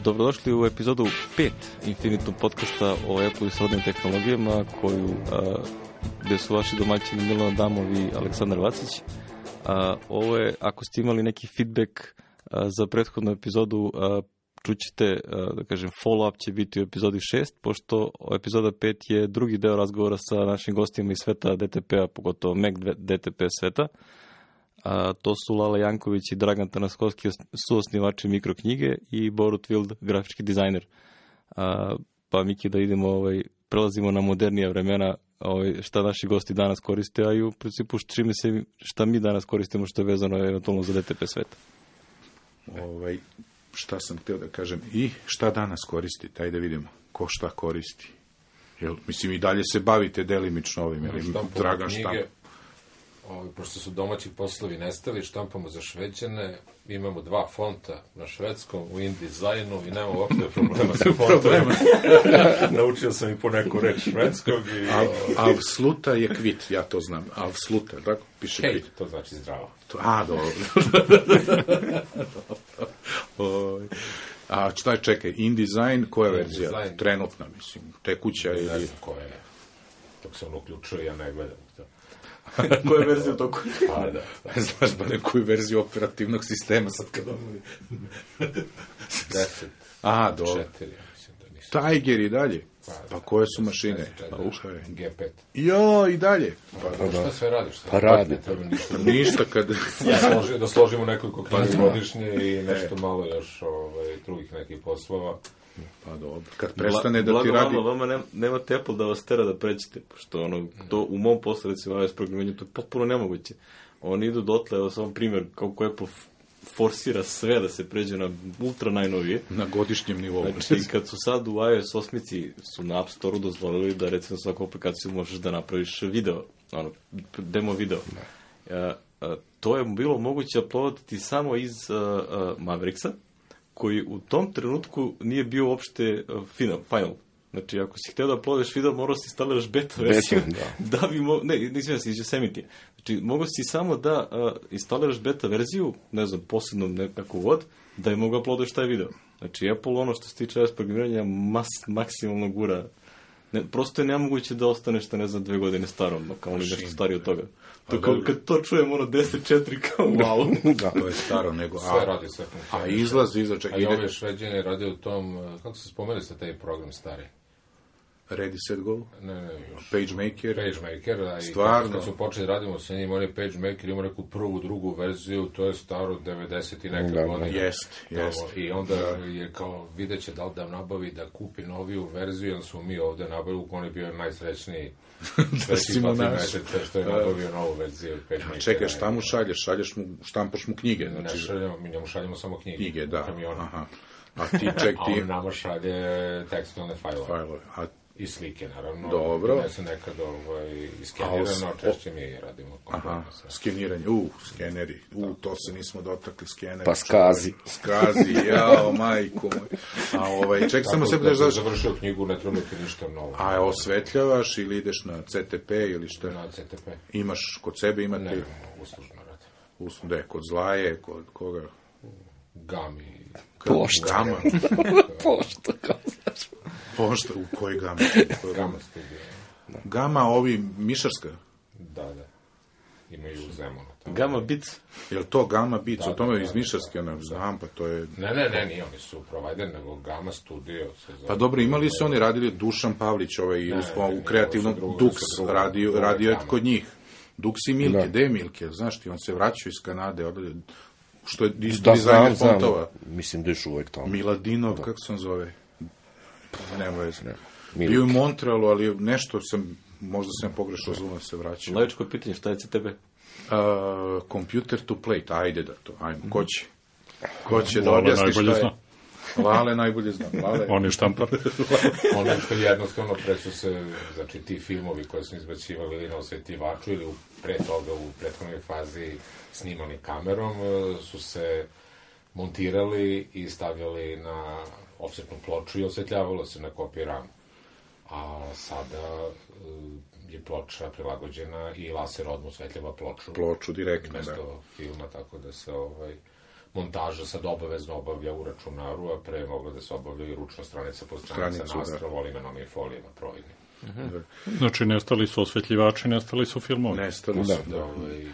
Dobrodošli u epizodu 5 Infinitum podcasta o Apple i srodnim tehnologijama, gde su vaši domaćini Milan Adamov i Aleksandar Vacić. Ovo je, ako ste imali neki feedback za prethodnu epizodu, čućete, da kažem, follow-up će biti u epizodi 6, pošto epizoda 5 je drugi deo razgovora sa našim gostima iz sveta DTP-a, pogotovo Mac DTP sveta. To su Lala Janković i Dragan Tanaskovski, suosnivači Mikroknjige, i Borut Wild, grafički dizajner. Pa Miki, da idemo, prelazimo na modernija vremena, šta naši gosti danas koriste, a i u principu šta mi danas koristimo, što je vezano eventualno za DTP sveta. Šta sam htio da kažem i šta danas koristite, ajde vidimo ko šta koristi. Mislim, i dalje se bavite delimično ovim, Dragan štampa. Pošto su domaći poslovi nestali, štampamo za Šveđane, imamo 2 fonta na švedskom, u InDesignu, i nema uopšte problema sa fontovima. Naučio sam i po neku reč švedskog. Avsluta je kvit, ja to znam. Avsluta, tako? Piše Hej, kvit. to znači zdravo. Dobro. A šta čekaj, InDesign, koja je verzija? InDesign. Trenutna, mislim, tekuća ili... Ne znam koja je. Dok se ono uključuje, ja ne gledam to. Koja je verzija u toku? Da. Znaš ba nekoju verziju operativnog sistema sad kad ono... 10. Dobro. 4, mislim da nisu. Tiger i dalje. Pa koje su mašine? G5. Jo, i dalje. Šta sve radiš? Pa radi. Ništa kad... Da složimo nekoliko knjiga godišnje i nešto malo još drugih nekih poslova. Pa dobro. Kad prestane da ti radi... Vama nemate Apple da vas tera da pređete, pošto to u mom poslu, recimo, iOS programiranju, to je potpuno nemoguće. Oni idu dotle, evo samo primjer, kako Apple forsira sve da se pređe na ultra najnovije. Na godišnjem nivou. Znači, kad su sad u iOS 8 su na App Store-u dozvolili da, recimo, svaku aplikaciju možeš da napraviš video, demo video. To je bilo moguće uploadati samo iz Mavericksa, koji u tom trenutku nije bio uopšte final. Znači, ako si hteo da uploadiš video, morao si instaliraš beta verziju. Da bi nisam iz Yosemite. Znači, mogao si samo da instaliraš beta verziju, ne znam, posebno nekako vod, da je mogao uploadiš taj video. Znači, Apple, ono što se tiče iOS programiranja, maksimalno gura. Prosto je nemoguće da ostaneš, ne znam, 2 godine starom, kao li nešto stariji od toga. Kad to čujem, 10.4, kao wow. Da, to je staro, nego... Sve radi, sve funkcionira. A izlazi, A i ove Šveđane rade u tom, kako se spomenuli ste taj program stari? Ready, Set, Go? Ne. PageMaker. Stvarno. Kad su počeli radimo sa njim, on je PageMaker, ima neku prvu, drugu verziju, to je staro 90 i neka godina. Jest. I onda je kao, vidjet će da li da nabavi da kupi noviju verziju, jer su mi ovde nabavili, on je bio najsrećniji. Sreći pati meseca što je nabavio novu verziju PageMaker. Čekaj, šta mu šalješ? Štampaš mu knjige? Ne šaljamo, mi njemu šaljamo samo knjige. Da. Aha. A ti ček ti... A on nama šalje tekstilne fajlove. I slike, naravno. Dobro. Ne se nekad iskenirano, češće mi radimo. Aha, skeniranje. Skeneri. To se nismo dotakli, skeneri. Pa skazi, jao, majko moj. Ček, samo se budeš završio knjigu, ne treba ti ništa novo. A osvetljavaš ili ideš na CTP ili šta? Na CTP. Imaš kod sebe, imate... Ne, uslužno radim. Gde, kod Zlaje, kod koga? Gami. Pošta. Gama. Pošta, kao znaš. Pošta, u kojoj Gama? Gama studija. Gama, Mišarska? Da. Imaju u Zemunu. Gama Beats. Je li to Gama Beats? O tome iz Mišarske, ne znam, pa to je... Ne, nije, oni su provider, nego Gama Studio. Pa dobro, imali su oni radili Dušan Pavlić, u kreativnom Dux, radio je kod njih. Dux i Milke, gde je Milke? Znaš ti, on se vraćao iz Kanade, što je dizajner fontova. Mislim da je uvek tamo. Miladinov, kako se on zove? Nema veze. Bio u Montrealu, ali nešto možda sam pogrešno razumio se vraćao. Laičko pitanje, šta je CTB? Computer to plate, ajde da to, ajmo, ko će da objasni šta je? Lale najbolje zna. On je štampar. Ono što jednostavno pre su se, znači ti filmovi koje smo izbacivali ili na osvetivaču ili pre toga u prethodnoj fazi snimani kamerom, su se montirali i stavljali na ofsetnu ploču i osvetljavalo se na kopiji RAM. A sada je ploča prilagođena i laser odmah osvetljava ploču. Ploču direktno, mesto filma, tako da se montaža sad obavezno obavlja u računaru, a pre je mogla da se obavlja i ručno stranica po stranica nastravo imenom i folijama providnim. Znači, nestali su osvetljivači, nestali su filmovi. Nestali su,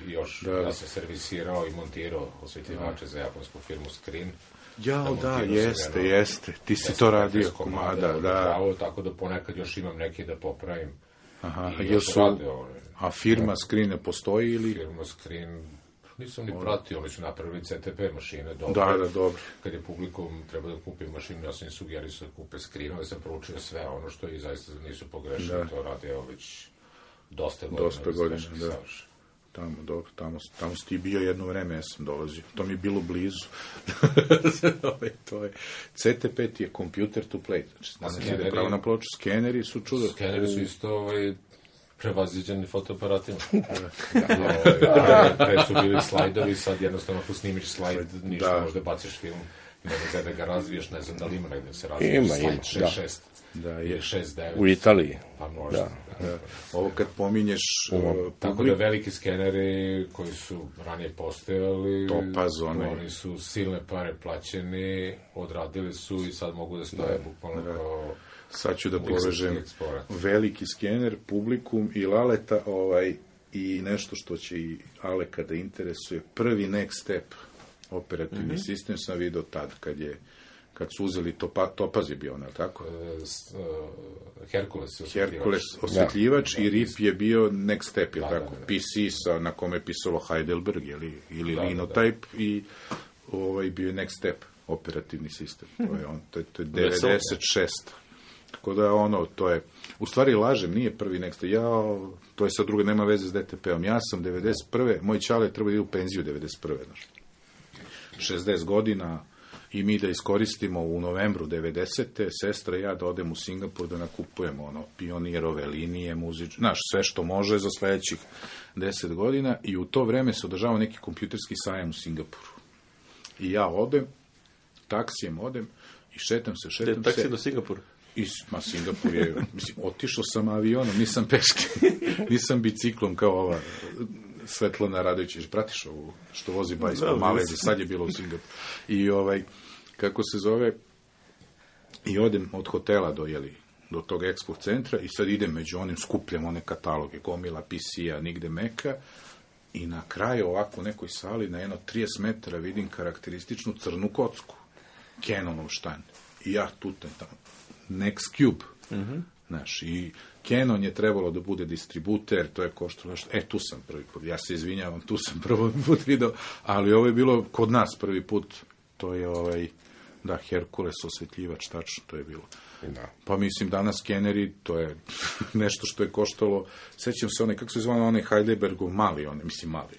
Još, ja sam servisirao i montirao osvetljivače za japonsku firmu Screen. Jao, da, jeste. Ti si to radio, komada, da. Tako da ponekad još imam neki da popravim. Aha, a firma Screen ne postoji ili? Firma Screen, nisam ni pratio, oni su napravili CTP mašine, dobro. Kad je publikum treba da kupi mašinu, ja sam im sugerisao da kupe Screen, da sam proučio sve ono što i zaista nisu pogrešili, to radi već dosta godina, da. Tamo si ti bio jedno vreme, ja sam dolazio. To mi je bilo blizu. CTP ti je computer to play. Znači, ide pravo na ploču. Skeneri su čudo. Skeneri su isto prevaziđeni fotoaparatima. Pre su bili slajdovi, sad jednostavno ako snimiš slajd, ništa možda baciš film. Ne znam da ga razviješ, ne znam da li ima negde se razviješ. Slajd 6.6. Ili 6.9. U Italiji. Pa možda. Ovo kad pominješ... Tako da veliki skeneri koji su ranije postojali, oni su silne pare plaćeni, odradili su i sad mogu da stoje bukvalno kao... Sad ću da povežem veliki skener, publikum i Laleta i nešto što će i Aleka da interesuje. Prvi Next Step operativni sistem sam vidio tad kad su uzeli Topaz je bio, ne tako? Herkules osvetljivač i RIP je bio Next Step, je tako? PC na kome je pisalo Heidelberg ili Linotype i bio je Next Step operativni sistem. To je 96. Tako da to je, u stvari lažem, nije prvi Next Step, to je sad druga, nema veze s DTP-om. Ja sam 91. Moj čale treba da ide u penziju 91. 60 godina i mi da iskoristimo u novembru 90. Sestra i ja da odem u Singapur da nakupujemo pionirove linije, sve što može za sledećih 10 godina i u to vreme se održava neki kompjuterski sajam u Singapuru. I ja odem, taksijem odem i šetam se. Taksi do Singapura? Singapur je, otišao sam avionom, nisam peške, nisam biciklom kao ova Svetlana Radović, pratiš ovu što vozi bajs po Malezi, sad je bilo u Singapuru. I kako se zove, i odem od hotela do tog Expo centra i sad idem među onim, skupljam one kataloge, gomila PC-a, nigde Meka i na kraju ovako u nekoj sali na 30 metara vidim karakterističnu crnu kocku. Canonov štand. I ja tutem tamo. Next Cube. Znaš, i Canon je trebalo da bude distributer, to je koštalo nešto. Tu sam prvi put, ja se izvinjavam, tu sam prvi put video, ali ovo je bilo kod nas prvi put, to je Herkules osvetljivač, tačno, to je bilo. Da. Pa mislim, danas skeneri, to je nešto što je koštalo, sećam se kako se zvano onaj Heidelbergov mali, mali.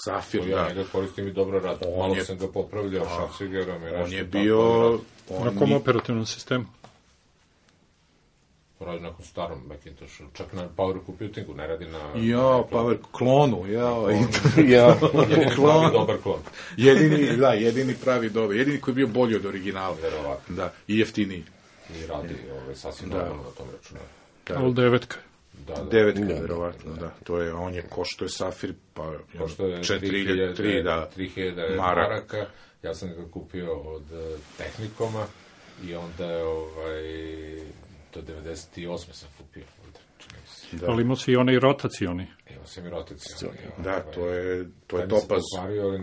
Safir, ja njega koristim i dobro rad. Malo sam ga popravljao šacigerom. On je bio... Na kom operativnom sistemu? Radi na starom Macintoshu, čak na Power Computingu, ne radi na... Power klonu, Jedini pravi dobar klon. Jedini pravi dobar, jedini koji je bio bolji od originala. Verovatno. Da, i jeftiniji. I radi sasvim normalno na tom računaru. Ali devetka. Devetka, verovatno, da. To je, on je košto je Safir, pa 3000 maraka. Ja sam ga kupio od Tehnikoma i onda je do 98. sam kupio. Ali imao si i onaj rotacioni. Imao sam i rotacioni. Da, to je Topaz.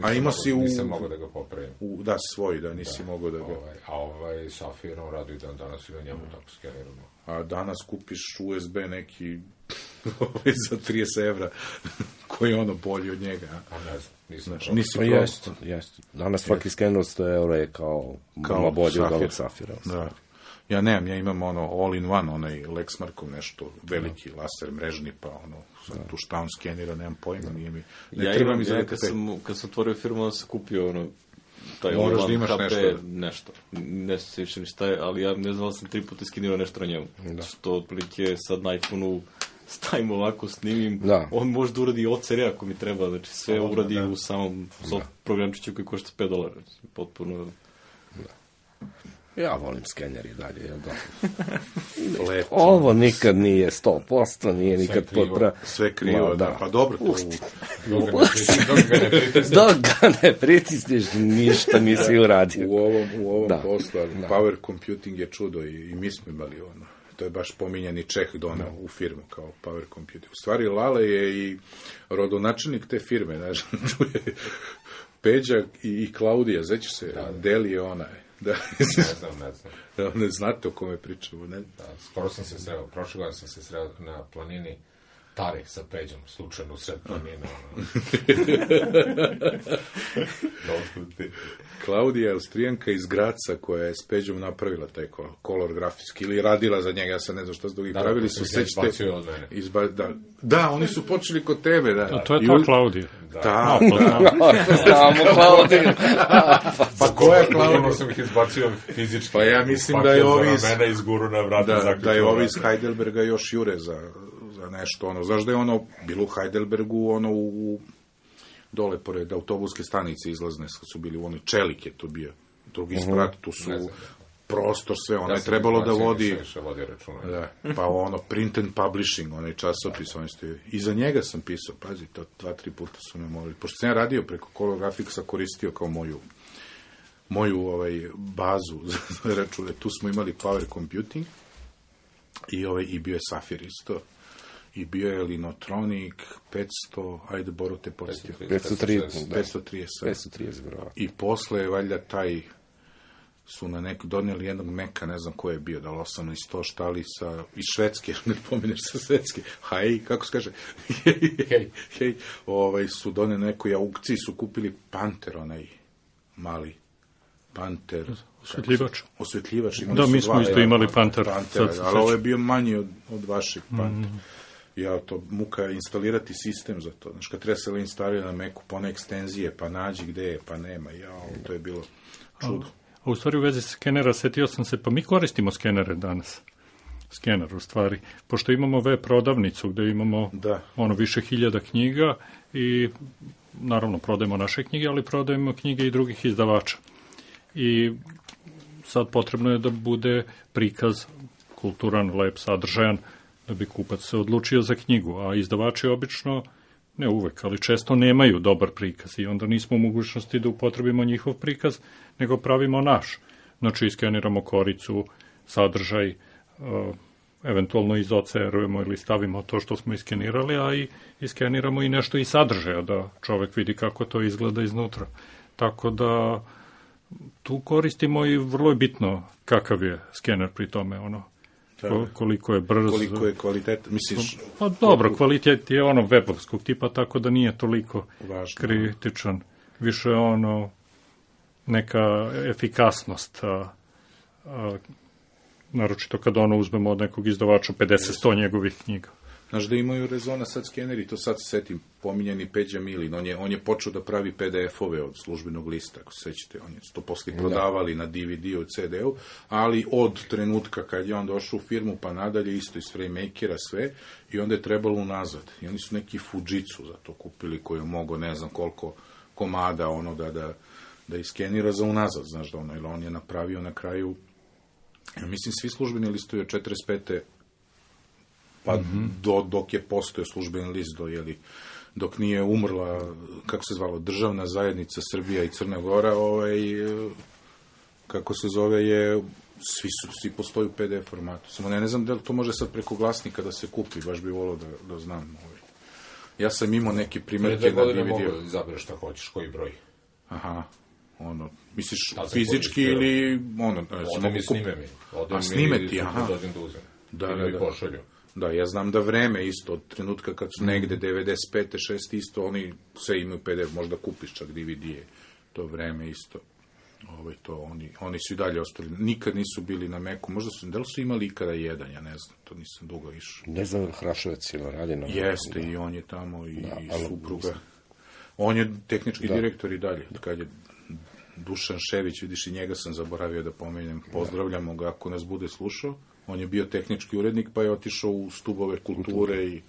A imao si nisam mogao da ga popravim. Da, svoj, da nisi mogao da ga... A Safir, on radi dan danas i na njemu tako skeniramo. A danas kupiš USB neki za 30 evra, koji je bolji od njega. A ne znam, nisi prosto. Jeste. Danas svaki skener 100 evra je kao bolji od ovog Safira. Da. Ja nemam, ja imam all-in-one, onaj Lexmarkov nešto, veliki laser mrežni, pa tu šta on skenira, nemam pojma, nije mi... Kad sam otvorio firmu, onda sam kupio taj moraš da imaš nešto. Ne se više ni šta je, ali ja ne znam, sam 3 puta skenirao nešto na njemu. Što otprilike sad na iPhone-u stavim ovako, snimim, on može da uradi OCR ako mi treba, znači sve uradi u samom programčiću koji košta $5. Potpuno... Ja volim skener i dalje, jel da? Lepo. Ovo nikad nije 100%, nije nikad potpuno. Sve krivo, da. Pa dobro, to dok ga ne pritisniš, ništa nisi uradio. U ovom poslu, power computing je čudo i mi smo imali ono. To je baš pominjani Čeh donao u firmu kao power computing. U stvari, Lale je i rodonačelnik te firme, znaš, tu je Peđa i Klaudija, zećeš se, Deli je ona. Da. Ne znam. Ne znate o kome pričamo, ne? Da, skoro sam se sreo, prošle godine sam se sreo na planini Tare sa Peđom, slučajno u sred planine. Klaudija je Austrijanka iz Graca koja je s Peđom napravila taj kolor grafijski ili radila za njega, ja sad ne znam šta su drugi pravili su, sećate od mene. Da, oni su počeli kod tebe, da. A to je ta Klaudija. Da. Znamo Klaudiju. Pa ko je Klaudija? Ono sam ih izbacio fizički. Pa ja mislim da je ovi iz... mene izguru na vrata. Da je ovi iz Heidelberga još jure za nešto, ono, znaš da je ono, bilo u Heidelbergu, ono, dole pored autobuske stanice izlazne, su bili u onoj Čelik je to bio, drugi sprat, tu su prostor, sve, ono je trebalo da vodi, pa ono, print and publishing, onaj časopis, i za njega sam pisao, pazi, to 2-3 puta su me molili, pošto sam ja radio preko Color Graphicsa, koristio kao moju bazu za račune, tu smo imali power computing, i bio je Safir isto, i bio je Linotronic 500, ajde Boro te podsjetio. 530. I posle je valjda taj su donijeli jednog Meka, ne znam ko je bio, da li 1800 štalica iz Švedske, ne pominješ sa Švedske, kako se kaže, su donijeli nekoj aukciji, su kupili Panter, onaj mali Panter. Osvetljivač. Da, mi smo isto imali Panter. Ali ovo je bio manji od vašeg Pantera. Ja to muka instalirati sistem za to. Znaš, kad treba se instalirati na Macu, pone ekstenzije, pa nađi gde je, pa nema. To je bilo čudo. A u stvari u vezi skenera, setio sam se, pa mi koristimo skenere danas. Skener, u stvari. Pošto imamo web prodavnicu gde imamo više hiljada knjiga i naravno prodajemo naše knjige, ali prodajemo knjige i drugih izdavača. I sad potrebno je da bude prikaz kulturan, lep, sadržajan, da bi kupac se odlučio za knjigu, a izdavači obično, ne uvek, ali često nemaju dobar prikaz i onda nismo u mogućnosti da upotrebimo njihov prikaz, nego pravimo naš. Znači, iskeniramo koricu, sadržaj, eventualno iz OCR-ujemo ili stavimo to što smo iskenirali, a i iskeniramo i nešto iz sadržaja, da čovek vidi kako to izgleda iznutra. Tako da tu koristimo i vrlo je bitno kakav je skener pri tome, koliko je brz. Koliko je kvalitet, misliš? Pa dobro, kvalitet je webovskog tipa, tako da nije toliko kritičan. Više neka efikasnost, naročito kad uzmemo od nekog izdavača 50-100 njegovih knjiga. Znaš da imaju rezona sad skeneri, to sad se setim, pominjeni Peđa Milin, on je počeo da pravi PDF-ove od službenog lista, ako se sećate, on je to posle prodavali na DVD-u, CD-u, ali od trenutka kad je on došao u firmu pa nadalje, isto iz FrameMakera sve, i onda je trebalo unazad. I oni su neki Fujitsu za to kupili, koji je mogao ne znam koliko komada da iskenira za unazad, znaš da ili on je napravio na kraju, mislim, svi službeni listovi od 45. pa dok je postojao službeni list, dok nije umrla, kako se zvalo, Državna zajednica Srbija i Crna Gora, kako se zove, svi postoji u PDF formatu. Samo ne znam da li to može sad preko glasnika da se kupi, baš bi volao da znam. Ja sam imao neke primjerke na DVD-u. Mogu da izabereš šta hoćeš, koji broj. Aha, misliš fizički ili Ode mi snime mi. A snime ti, aha. Dođem da uzem. Ili mi pošalju. Da, ja znam da vreme isto, od trenutka kad su negde 95. 6. isto, oni sve imaju PDF, možda kupiš čak DVD-e, to vreme isto. Oni su i dalje ostali, nikad nisu bili na Macu, možda su, da li su imali ikada jedan, ja ne znam, to nisam dugo išao. Ne znam, Hrašovac ili radi na Macu. Jeste, i on je tamo, i supruga. On je tehnički direktor i dalje, kad je Dušan Šević, vidiš, i njega sam zaboravio da pomenem, pozdravljamo ga ako nas bude slušao. On je bio tehnički urednik, pa je otišao u stubove kulture i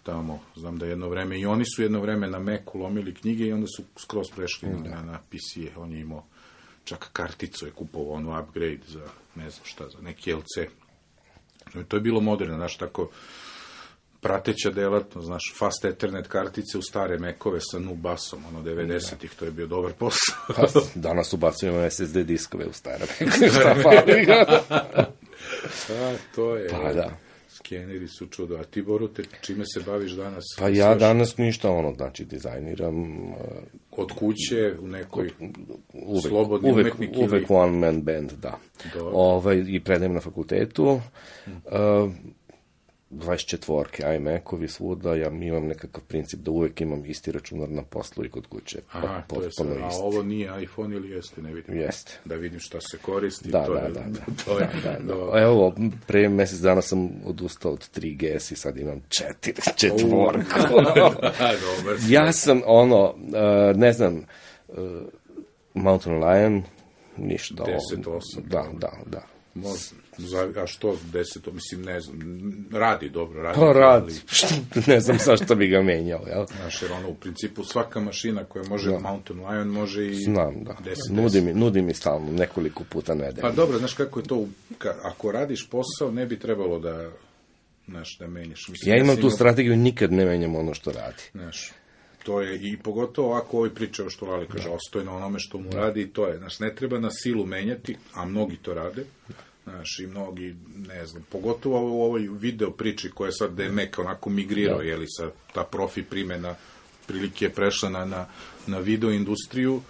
tamo, znam da jedno vreme, i oni su jedno vreme na Macu lomili knjige i onda su skroz prešli na PC-e. On je imao čak karticu je kupovao, ono upgrade za, ne znam šta, za neki LC. To je bilo moderno, znaš, tako prateća delatnost, znaš, fast ethernet kartice u stare mekove sa nubasom, 90-ih, to je bio dobar posao. Danas ubacujemo SSD diskove u stare mekove, šta fali? To je, pa da. Skeneri su čudo. A ti, Borute, čime se baviš danas? Pa ja danas ništa, znači, dizajniram. Od kuće, u nekoj slobodni umetnik? Uvek one man band, da. I predajem na fakultetu. 24 iMac-ovi svuda, ja imam nekakav princip da uvek imam isti računar na poslu i kod kuće. Aha, to je sad, a ovo nije iPhone ili jeste, ne vidim? Jeste. Da vidim šta se koristi. Da. Evo, pre mesec dana sam odustao od 3GS i sad imam 4. Ja sam, ne znam, Mountain Lion, ništa. 10.8. Da. A što 10, mislim, ne znam, radi dobro. Pa radi, ne znam zašto bi ga menjao, jel? Znaš, jer u principu svaka mašina koja može Mountain Lion može i 10. Znam, da. Nudi mi stalno, nekoliko puta nedeljno. Pa dobro, znaš kako je to, ako radiš posao, ne bi trebalo da, znaš, da menjaš. Mislim, ja imam tu strategiju, nikad ne menjam ono što radi. Znaš, to je, i pogotovo ako ovaj pričao što Lali kaže, ostoji na onome što mu radi i to je, znaš, ne treba na silu menjati, a mnogi to rade. Znaš, i mnogi, ne znam, pogotovo u ovoj video priči koja je sad Mac onako migrirao, jeli, sa ta profi primjena prilike je prešla na video industriju,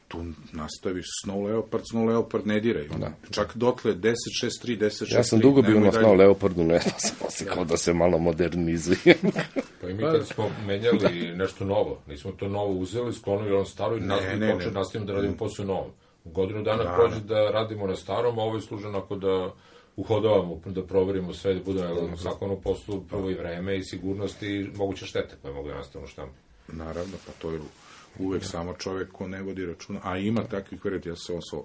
tu nastaviš Snow Leopard ne diraj. Čak dotle 10.6.3, 10.6.3. Ja sam dugo bio na Snow Leopardu, ne znam, sam osikao da se malo modernizuje. Pa i mi kad smo menjali nešto novo, nismo to novo uzeli, sklonili ono staro i nastavimo da radimo posao novo. Godinu dana prođe da radimo na starom, a ovo je služeno onako da uhodavamo, da proverimo sve, da budemo zakon u poslu, prvo i vreme i sigurnost i moguće štete koje mogu da nastanu štampi. Naravno, pa to je uvek samo čovek ko ne vodi računa, a ima takvih, verujte,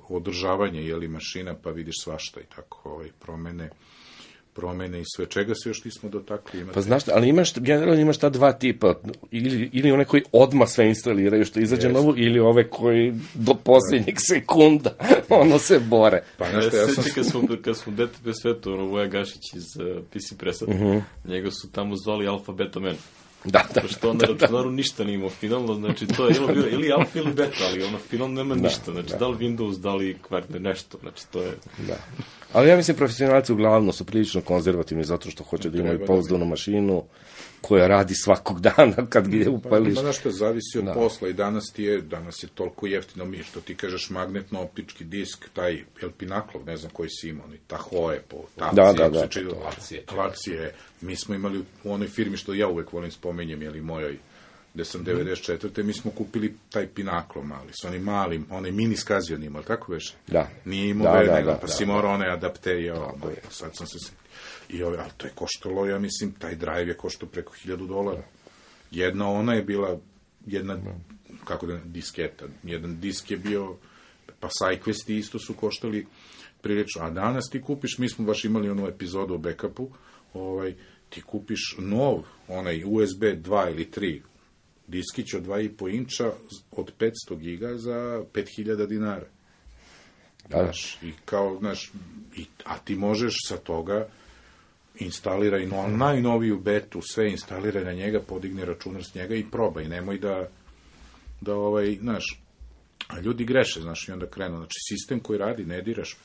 održavanje, jeli, mašina, pa vidiš svašta i tako, promene i sve. Čega se još nismo dotakli? Pa znaš, ali generalno imaš ta dva tipa, ili one koji odmah sve instaliraju što izađe novo, ili ove koji do posljednjeg sekunda se bore. Pa znaš, kad smo DTP svetu, Voja Gašić iz PC Pressa, njega su tamo zvali Alfa Beta Man. Da. Pošto on na računaru ništa nije imao finalno, znači to je ili alfa ili beta, ali finalno nema ništa, znači da li Windows, da li kvarne, nešto, znači to je... Da. Ali ja mislim profesionalci uglavnom su prilično konzervativni zato što hoće da imaju pouzdanu mašinu koja radi svakog dana kad je upališ. Znaš što, zavisi od posla i danas je toliko jeftino što ti kažeš magnetno-optički disk, taj Pinnacle, ne znam koji si imao, Tahoe, Klacije, mi smo imali u onoj firmi što ja uvek volim spomenjem, jeli mojoj, gde sam 94. mi smo kupili taj Pinnacle mali, s onim malim, onaj mini skazion imao, tako već? Da. Nije imao nego, pa si morao one adapterije, sad sam se ali to je koštalo, ja mislim, taj drive je koštao preko $1,000. Jedna ona je bila, disketa, jedan disk je bio, pa SideQuesti isto su koštali prilično, a danas ti kupiš, mi smo baš imali onu epizodu o backupu, ti kupiš nov, onaj USB 2 ili 3 diskić od 2,5 inča od 500 giga za $5,000. Znaš, i kao, znaš, a ti možeš sa toga instaliraj najnoviju betu, sve instaliraj na njega, podigni računar s njega i probaj, nemoj da znaš, a ljudi greše, znaš, i onda krenu, znači, sistem koji radi, ne diraš,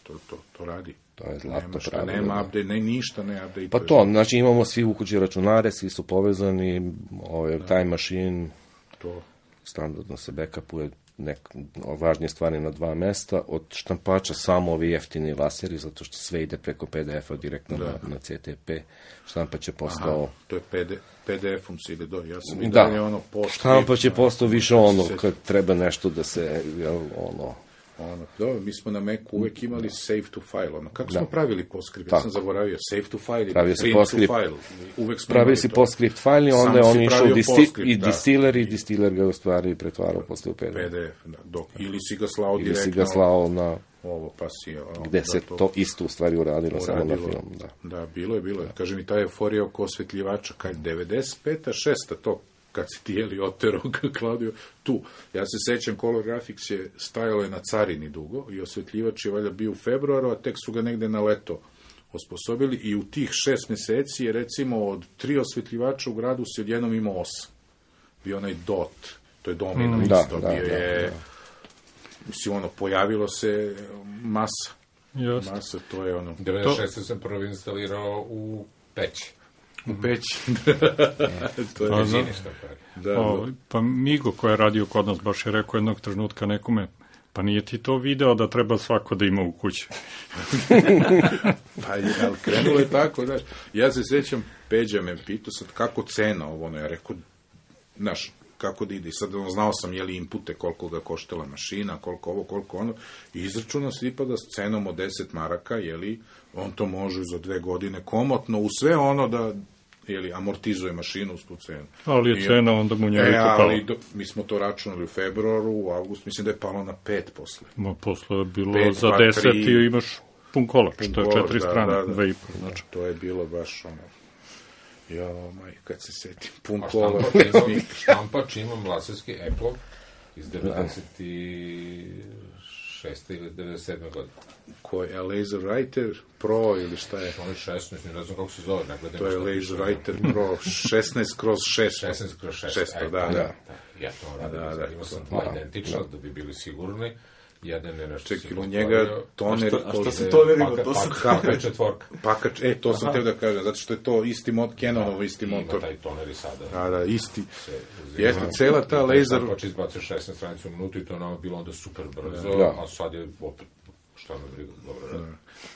to radi. To je zlatno pravilo. Nema update, ništa ne update. Pa to, znači, imamo svi u kući računare, svi su povezani, time machine, standardno se backupuje važnije stvari na 2 mesta, od štampača samo ovi jeftini laseri, zato što sve ide preko PDF-a direktno na CTP. Štampač je postao... To je PDF-om se ide do... Ja sam i dalje štampač je postao više kad treba nešto da se... mi smo na Macu uvek imali save to file, kako smo pravili PostScript? Ja sam zaboravio, save to file ili print to file. Pravili si PostScript file i onda on išao i distiler ga u stvari pretvarao posle u PDF. Ili si ga slao direktno. Ili si ga slao na... Ovo, pa si... Gde se to isto u stvari uradilo samo na film. Da, bilo je. Kaže mi ta euforija oko osvetljivača, 95. 6. to kad si ti jeli otero Klaudio, tu. Ja se sećam, Color Graphics je stajalo je na carini dugo i osvetljivač je valjda bio u februaru, a tek su ga negde na leto osposobili i u tih 6 meseci je recimo od 3 osvetljivača u gradu se odjednom imao 8. Bio onaj DOT, to je Domino isto, bio je, mislim, ono, pojavilo se masa. Just. Masa, to je ono... 96. sam prvo instalirao u peći. U peći. To je ništa. Pa Migo koji je radio kod nas baš je rekao jednog trenutka nekome, pa nije ti to video da treba svako da ima u kući. Pa ali krenulo je tako, znaš. Ja se sećam, Peđa me pitao sad kako cena ovo, ja rekao, znaš, kako da ide. Sad znao sam, jeli inpute, koliko ga koštala mašina, koliko ovo, koliko ono, i izračunao se ipak da s cenom od 10 maraka, jeli, on to može za 2 godine komotno, u sve ono da, jeli, amortizuje mašinu uz tu cenu. Ali je cena onda mu njeli pala. Mi smo to računali u februaru, u avgustu, mislim da je palo na 5 posle. Posle je bilo 5, za 10 i imaš pun kolač, to je 4 strane, 2,5. Znači. To je bilo baš ono... kad se setim, pun kola. Štampač imam laserski Apple iz 96. ili 97. godine. Koji je LaserWriter Pro ili šta je? On je 16, ne znam kako se zove. To je LaserWriter Pro 16/600. 16/600, da. Ja to radim, imao sam 2 identična, da bi bili sigurni. Jedan je nešto... Čekaj, u njega toneri... A šta se tonerima? To sam teo da kažem, zato što je to isti Canonovo isti motor. Ima taj toner i sada. Da, isti. Jeste, cela ta laser... Znači, izbacio 16 stranica u minutu i to nama bilo onda super brzo, a sad je opet... Šta me briga, dobro radi.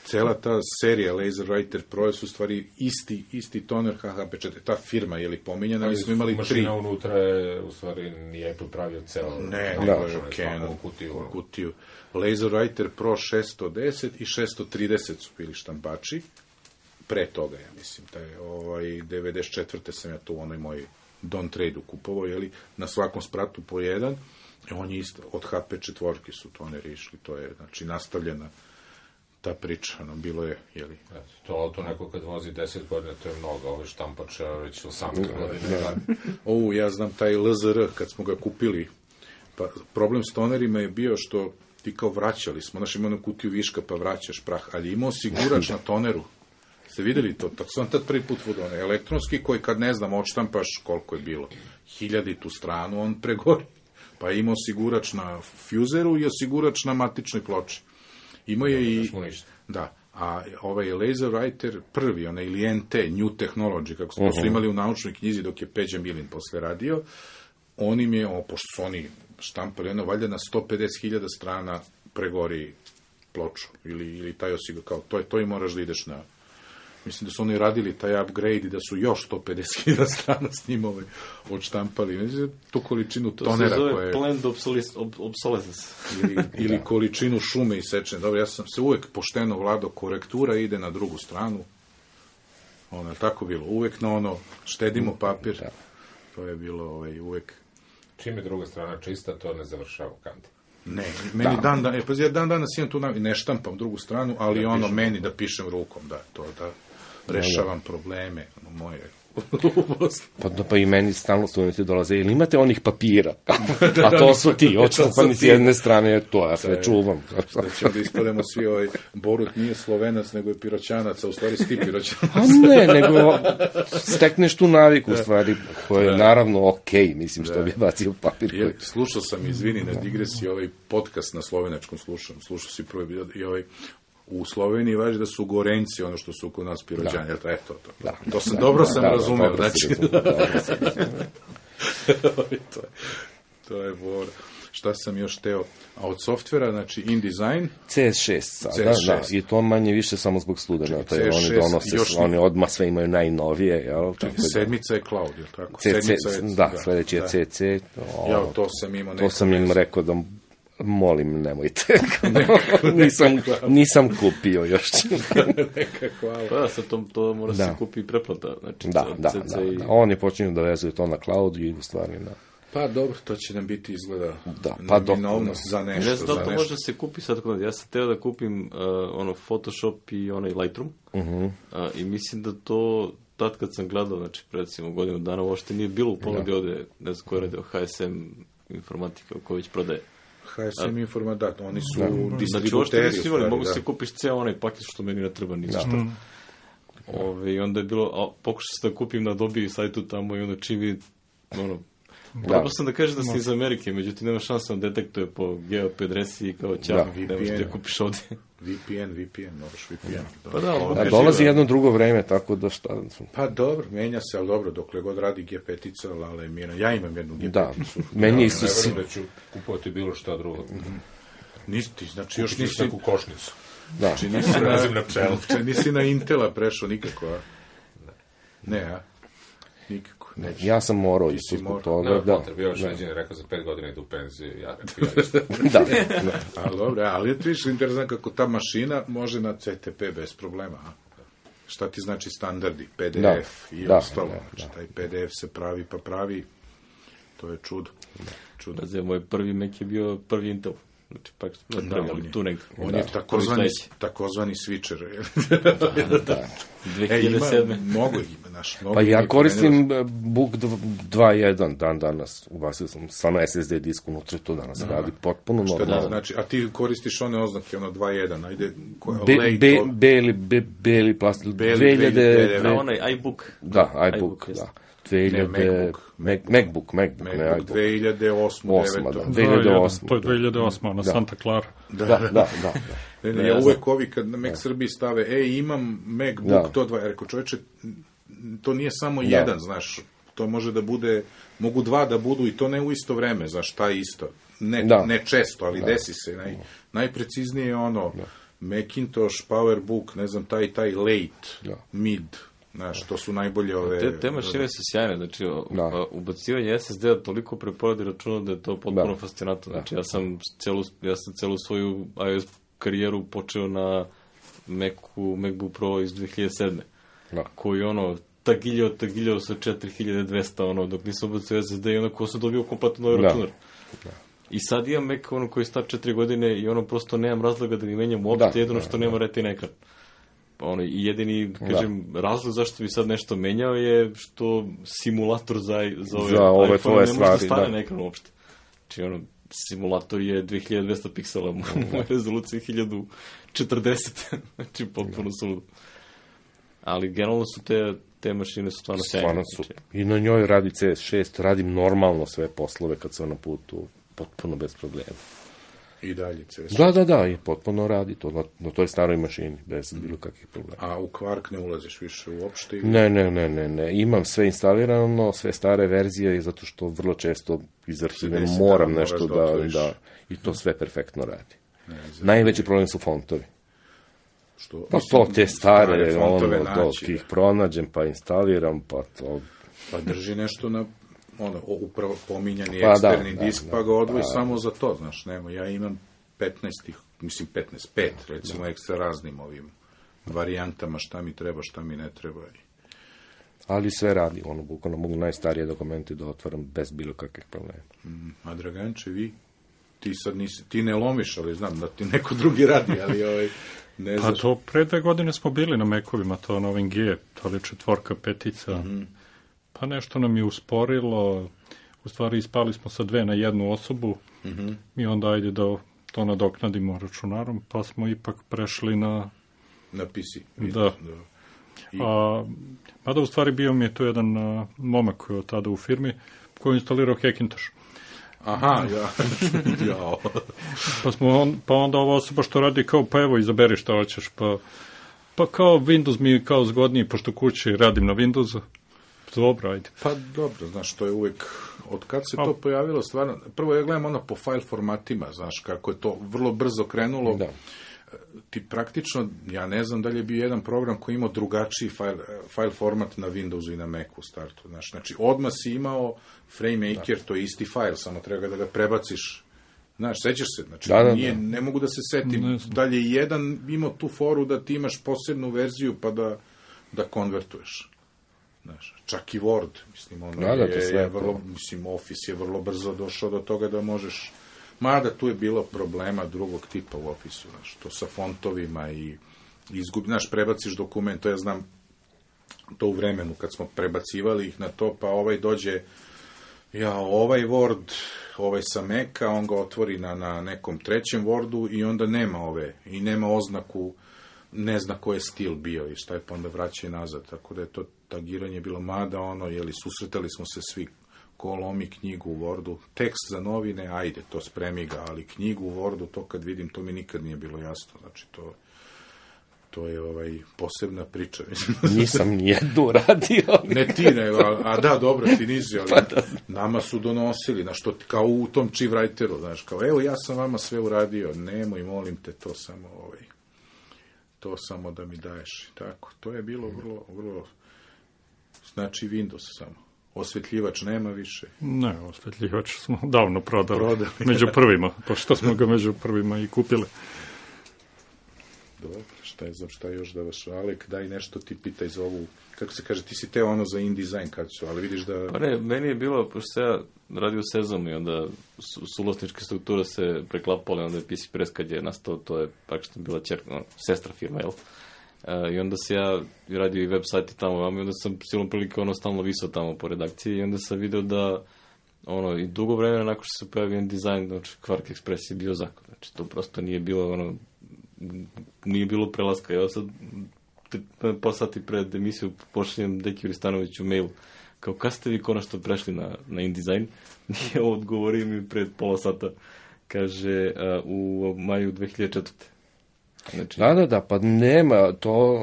Cela ta serija LaserWriter Pro je su stvari isti toner HHP4. Ta firma je li pominjena, mi smo imali 3. Mašina unutra je, u stvari, nije Apple pravio celo. Ne, to je Canon kutiju. LaserWriter Pro 610 i 630 su bili štampači. Pre toga, ja mislim, 94. sam ja tu u onoj moj Don't Trade-u kupovao, jeli, na svakom spratu po jedan. On je isto, od HP4 su toneri išli, to je, znači, nastavljena ta priča, bilo je, jeli... To auto neko kad vozi 10 godina, to je mnogo, ovo je štampača već 18 godina. Ja znam taj LZR, kad smo ga kupili, pa problem s tonerima je bio što ti kao vraćali smo, znaš, ima kutiju viška pa vraćaš prah, ali imao osigurač na toneru. Ste vidjeli to? Tako sam tad prvi put vodio, elektronski koji kad ne znam, odštampaš koliko je bilo, 1000 stranu, on pregori. Pa je imao osigurač na fuzeru i osigurač na matičnoj ploči. Imao je i... Da, a ovaj LaserWriter prvi, onaj ili NT, New Technology, kako smo su imali u naučnoj knjizi dok je Peđa Milin posle radio, on im je, pošto su oni štampali, valjda na 150.000 strana pregori ploču, ili taj osigurač, kao to i moraš da ideš na... Mislim da su oni radili taj upgrade i da su još 150.000 strana s njim odštampali. Mislim, tu količinu tonera koje... To se zove planned obsolescence. Ili količinu šume isečene. Dobro, ja sam se uvek pošteno vladao, korektura ide na drugu stranu. Tako bilo. Uvek na štedimo papir. To je bilo uvek... Čim je druga strana čista, to ne završava kante. Ne, meni dan danas imam tu ne štampam drugu stranu, ali meni da pišem rukom, da rešavam probleme moje. Pa i meni stalno studenti dolaze, ili imate onih papira? A to su ti, odštampani s jedne strane, to ja sve čuvam. Da ćemo da ispademo svi, Borut nije Slovenac, nego je Piroćanac, a u stvari si ti Piroćanac. A ne, nego stekneš tu naviku, u stvari, koja je naravno okej, mislim, što bi bacio papir. Slušao sam, izvini, na digresiji, ovaj podcast na slovenačkom slušao si prvi i u Sloveniji važi da su Gorenci ono što su kod nas Piroćani. To sam dobro razumeo. To je bora. Šta sam još teo? A od softvera, znači InDesign? CS6 sada, da. I to manje više samo zbog studenata. Oni donose, oni odmah sve imaju najnovije. Sedmica je cloud, je li tako? Da, sledeći je CC. To sam imao. To sam im rekao da molim, nemojte. Nisam kupio još. Hvala. Pa sad to mora se kupi preplata. Znači, da. Oni počinju da vezuju to na cloud i stvari na... Pa dobro, to će nam biti izgleda neminovnost za nešto. Ne znam da to može se kupi sad. Ja sam teo da kupim Photoshop i onaj Lightroom i mislim da tad kad sam gledao, znači, recimo, godinu dana, uopšte nije bilo u ponudi ovde, ne znam ko je radio, HSM informatika, ko već prodaje. HSM informatika, oni su distributeri. Znači, uopšte nisu imali, mogu se kupiš ceo onaj paket što meni ne treba ni zašto. I onda je bilo, pokušao sam da kupim na Dobi sajtu tamo i onda čim vidi, probao sam da kažem da si iz Amerike, međutim nema šansa da detektuje po GeoP adresi i kao ćao, ne možeš da kupiš ovde. VPN, moraš VPN. Pa da, dolazi jedno drugo vreme, tako da šta... Pa dobro, menja se, ali dobro, dokle god radi G5-ica, Lala je miran. Ja imam jednu G5-icu. Da, meni isto... Ne verujem da ću kupovati bilo šta drugo. Nisi, znači još nisi... neku košnicu. Da. Znači nisi na Intela prešao nikako, a? Ne, a? Nikako. Neći. Ja sam morao isto zbog toga. Ne, bio još neđen rekao za 5 godina idu u penziju. Ali dobro, ali je viš interesant kako ta mašina može na CTP bez problema. A? Šta ti znači standardi, PDF i ostalo. Znači, taj PDF se pravi, to je čudo. Moj prvi Mac je bio prvi Intel. Znači, pak tu negdje. On je takozvani switcher. Da. 2007. Mnogo ima, naš. Pa ja koristim Book 2.1 dan danas. Ubacio sam samo SSD disk unutra, to danas radi potpuno normalno. Znači, a ti koristiš one oznake, 2.1, ajde... Beli plastik. 2000... Onaj iBook. Da, iBook, da. MacBook, ne iBook. 2008. To je 2008. na Santa Clara. Da. Ja uvek ovi kad na Mac Srbiji stave, imam MacBook, to dva, rekao čoveče, to nije samo jedan, znaš, to može da bude, mogu dva da budu i to ne u isto vreme, znaš, taj isto. Ne često, ali desi se. Najpreciznije je Macintosh, PowerBook, ne znam, taj late, mid, znaš, to su najbolje ove... Te mašine su sjajne, znači, ubacivanje SSD-a toliko preporadi računa da je to potpuno fascinantno. Znači, ja sam celu svoju iOS karijeru počeo na MacBook Pro iz 2007. Koji tagiljao sa 4200, dok nisam ubacio SSD i ko sam dobio kompletno novi računar. I sad imam Mac koji je star 4 godine i prosto nemam razloga da ga menjam uopšte, jedino što nema retina ekran. I jedini, razlog zašto bi sad nešto menjao je što simulator za ove iPhone ne može da stane na ekran uopšte. Znači, simulator je 2200 piksela u rezoluciji 1040, znači potpuno suludo. Ali generalno su te mašine su stvarno sjajne. I na njoj radi CS6, radim normalno sve poslove kad sam na putu, potpuno bez problema. I dalje CS6. Da, i potpuno radi to na toj staroj mašini, bez bilo kakvih problema. A u Quark ne ulaziš više uopšte? Ne, imam sve instalirano, sve stare verzije, zato što vrlo često iz arhive moram nešto da i to sve perfektno radi. Najveći problem su fontovi. Pa to te stare, dok ih pronađem, pa instaliram, pa to... Pa drži nešto na, upravo pominjani eksterni disk, pa ga odvoji samo za to, znaš, ja imam 5, recimo, ekstra raznim ovim varijantama, šta mi treba, šta mi ne treba. Ali sve radi, bukvalno mogu najstarije dokumente da otvaram bez bilo kakvih problema. A Draganče, vi? Ti sad ti ne lomiš, ali znam da ti neko drugi radi, ali ne znaš. Pa to pre 2 godine smo bili na Mac-ovima, to na ovim G, to je 4, 5. Pa nešto nam je usporilo, u stvari ispali smo sa 2 na 1 osobu i onda ajde da to nadoknadimo računarom, pa smo ipak prešli na PC. Da. Mada u stvari bio mi je tu jedan momak koji je od tada u firmi, koji je instalirao Hackintosh. Aha, Pa onda ova osoba što radi kao, pa evo, izaberi što hoćeš, pa kao Windows mi je kao zgodniji, pošto kući radim na Windowsu. Dobro, ajde. Pa dobro, znaš, to je uvek, od kad se to pojavilo, stvarno, prvo ja gledam po file formatima, znaš, kako je to vrlo brzo krenulo. Da. Ti praktično, ja ne znam da li je bio jedan program koji imao drugačiji file format na Windowsu i na Macu u startu, znaš, znači, odmah si imao FrameMaker, to je isti file, samo treba da ga prebaciš, znaš, sećaš se, znači, ne mogu da se setim, da li je jedan imao tu foru da ti imaš posebnu verziju pa da konvertuješ. Znaš, čak i Word, mislim, Office je vrlo brzo došao do toga da možeš, mada tu je bilo problema drugog tipa u Office-u, znaš, to sa fontovima i prebaciš dokument, to ja znam, to u vremenu kad smo prebacivali ih na to, pa ovaj dođe, ovaj Word, ovaj sa Maca, on ga otvori na nekom trećem Wordu i onda nema i nema oznaku, ne zna ko je stil bio i šta je, pa onda vraća i nazad, tako da je to tagiranje bilo, mada susretali smo se svi, ko lomi knjigu u Wordu, tekst za novine, ajde, to spremi ga, ali knjigu u Wordu, to kad vidim, to mi nikad nije bilo jasno, znači to je posebna priča. Nisam nijednu radio. Ne ti, a da, dobro, ti nisi, ali nama su donosili, znaš, kao u tom Chief-writeru, znaš, kao, evo, ja sam vama sve uradio, nemoj, molim te, to samo da mi daješ. Tako, to je bilo vrlo, vrlo, znači Windows samo. Osvetljivač nema više. Ne, osvetljivač smo davno prodali. Među prvima, pošto smo ga među prvima i kupili. Dobro, šta još da vas, Alek, daj nešto ti pitaj za ovu, kako se kaže, ti si teo za InDesign kad su, ali vidiš da... Pa ne, meni je bilo, pošto se ja radio u Sezamu i onda suvlasničke strukture se preklapale, onda je PC Press kad je nastao, to je praktično bila sestra firma, jel? I onda se ja radio i web sajti tamo, i onda sam silom prilike stalno visao tamo po redakciji i onda sam video da i dugo vremena nakon što se pojavio InDesign, znači Quark Express je bio zakon, znači to prosto nije bilo nije bilo prelaska. Ja sad pa sati pred emisiju pošaljem Deki Ristanoviću mail kao kad ste vi konačno prešli na InDesign? Nije odgovorio mi pred pola sata, kaže u maju 2004. Znači... Da, pa nema to,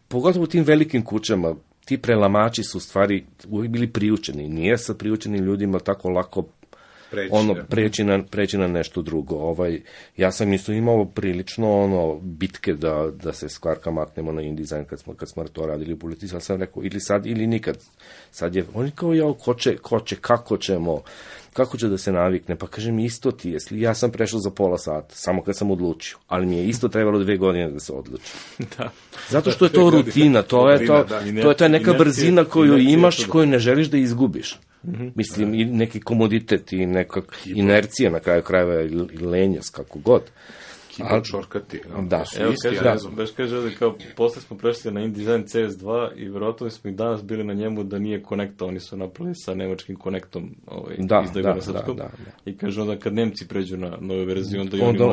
pogotovo u tim velikim kućama, ti prelamači su u stvari uvijek bili priučeni, nije sa priučenim ljudima tako lako preći na nešto drugo. Ja sam isto imao prilično bitke da se s Quarka maknemo na InDesign kad smo to radili u Politici, ali sam rekao ili sad ili nikad. Sad je, oni kao kako će da se navikne, pa kažem isto ti je, ja sam prešao za pola sata, samo kad sam odlučio, ali mi je isto trebalo 2 godine da se odluči. Da. Zato što je to rutina, to je ta neka brzina koju imaš i koju ne želiš da izgubiš. Mislim, i neki komoditet i neka inercija na kraju krajeva i lenjost, kako god. Keyboard šorkati. Da. Evo, baš kaže ovdje, kao posle smo prešli na InDesign CS2 i vjerojatno smo i danas bili na njemu da nije konekta, oni su napravili sa nemačkim konektom izdaju na srpskom. I kaže onda kad Nemci pređu na novu verziju,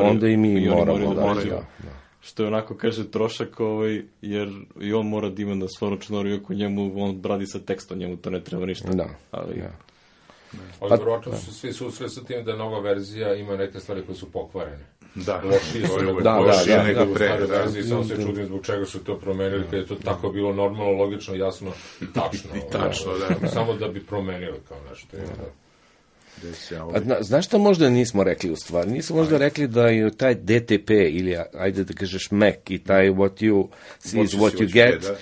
onda i mi moramo da. Što je onako, kaže, trošak, jer i on mora da ima na svoj računar, iako njemu on bradi sa tekstom, njemu to ne treba ništa. Da. Ali vjerojatno su svi susreli sa tim da nova verzija ima neke stvari koje su pokvarene. Da, lošije nego stare verzije, samo se čudim zbog čega su to promenili, kad je to tako bilo normalno, logično, jasno i tačno. Samo da bi promenili kao nešto. Znaš šta možda nismo rekli u stvari? Nismo možda rekli da je taj DTP ili, ajde da kažeš Mac i taj what you see is what you get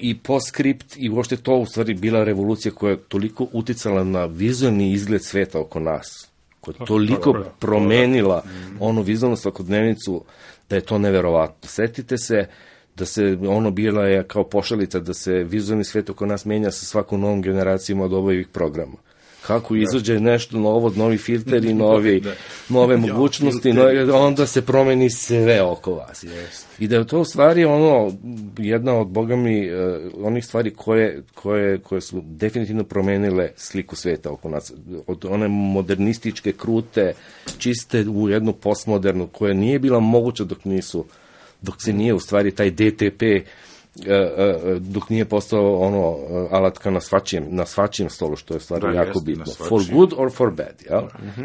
i PostScript i uopšte to u stvari bila revolucija koja je toliko uticala na vizualni izgled sveta oko nas, koja je toliko promenila onu vizualnu svakodnevnicu da je to neverovatno. Setite se da se bila je kao pošalica da se vizualni svet oko nas menja sa svakom novom generacijom od ovih programa. Kako izađe nešto novo, novi filteri, nove mogućnosti, onda se promeni sve oko vas. I da je to u stvari jedna od, Boga mi, onih stvari koje su definitivno promenile sliku sveta oko nas. Od one modernističke, krute, čiste u jednu postmodernu, koja nije bila moguća dok se nije u stvari taj DTP dok nije postao alatka na svačijem stolu, što je stvarno jako bitno. For good or for bad, jel?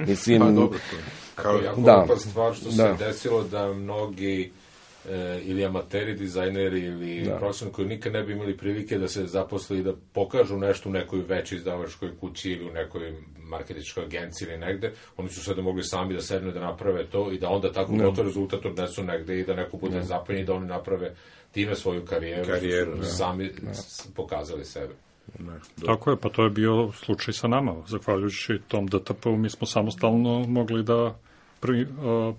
Mislim, pa dobro, kao jako lepa stvar što se desilo da mnogi ili amateri, dizajneri ili profesionalni koji nikad ne bi imali prilike da se zaposle i da pokažu nešto u nekoj većoj izdavačkoj kući ili u nekoj marketičkoj agenciji ili negde, oni su sada mogli sami da sednu i da naprave to i da onda tako gotov rezultat odnesu negde i da neko bude zapanjen i da oni naprave time svoju karijeru sami pokazali sebe. Tako je, pa to je bio slučaj sa nama. Zahvaljujući tom DTP-u mi smo samostalno mogli da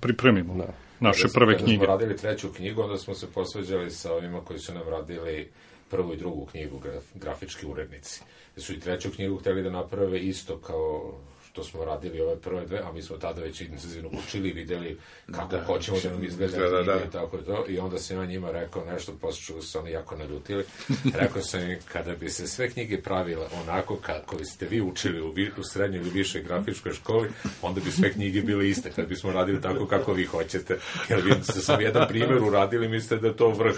pripremimo naše prve knjige. Kada smo radili 3. knjigu, onda smo se posveđali sa ovima koji su nam radili 1. i 2. knjigu, grafički urednici. Su i 3. knjigu hteli da naprave isto kao što smo radili ove prve dve, a mi smo tada već intenzivno učili i vidjeli kako hoćemo da nam izgleda knjiga i tako to. I onda sam ja njima rekao nešto, posle su oni jako naljutili. Rekao sam im, kada bi se sve knjige pravile onako kako ste vi učili u srednjoj ili višoj grafičkoj školi, onda bi sve knjige bile iste, kad bismo radili tako kako vi hoćete. Jer vi ste sam jedan primjer uradili, mislite da je to vrh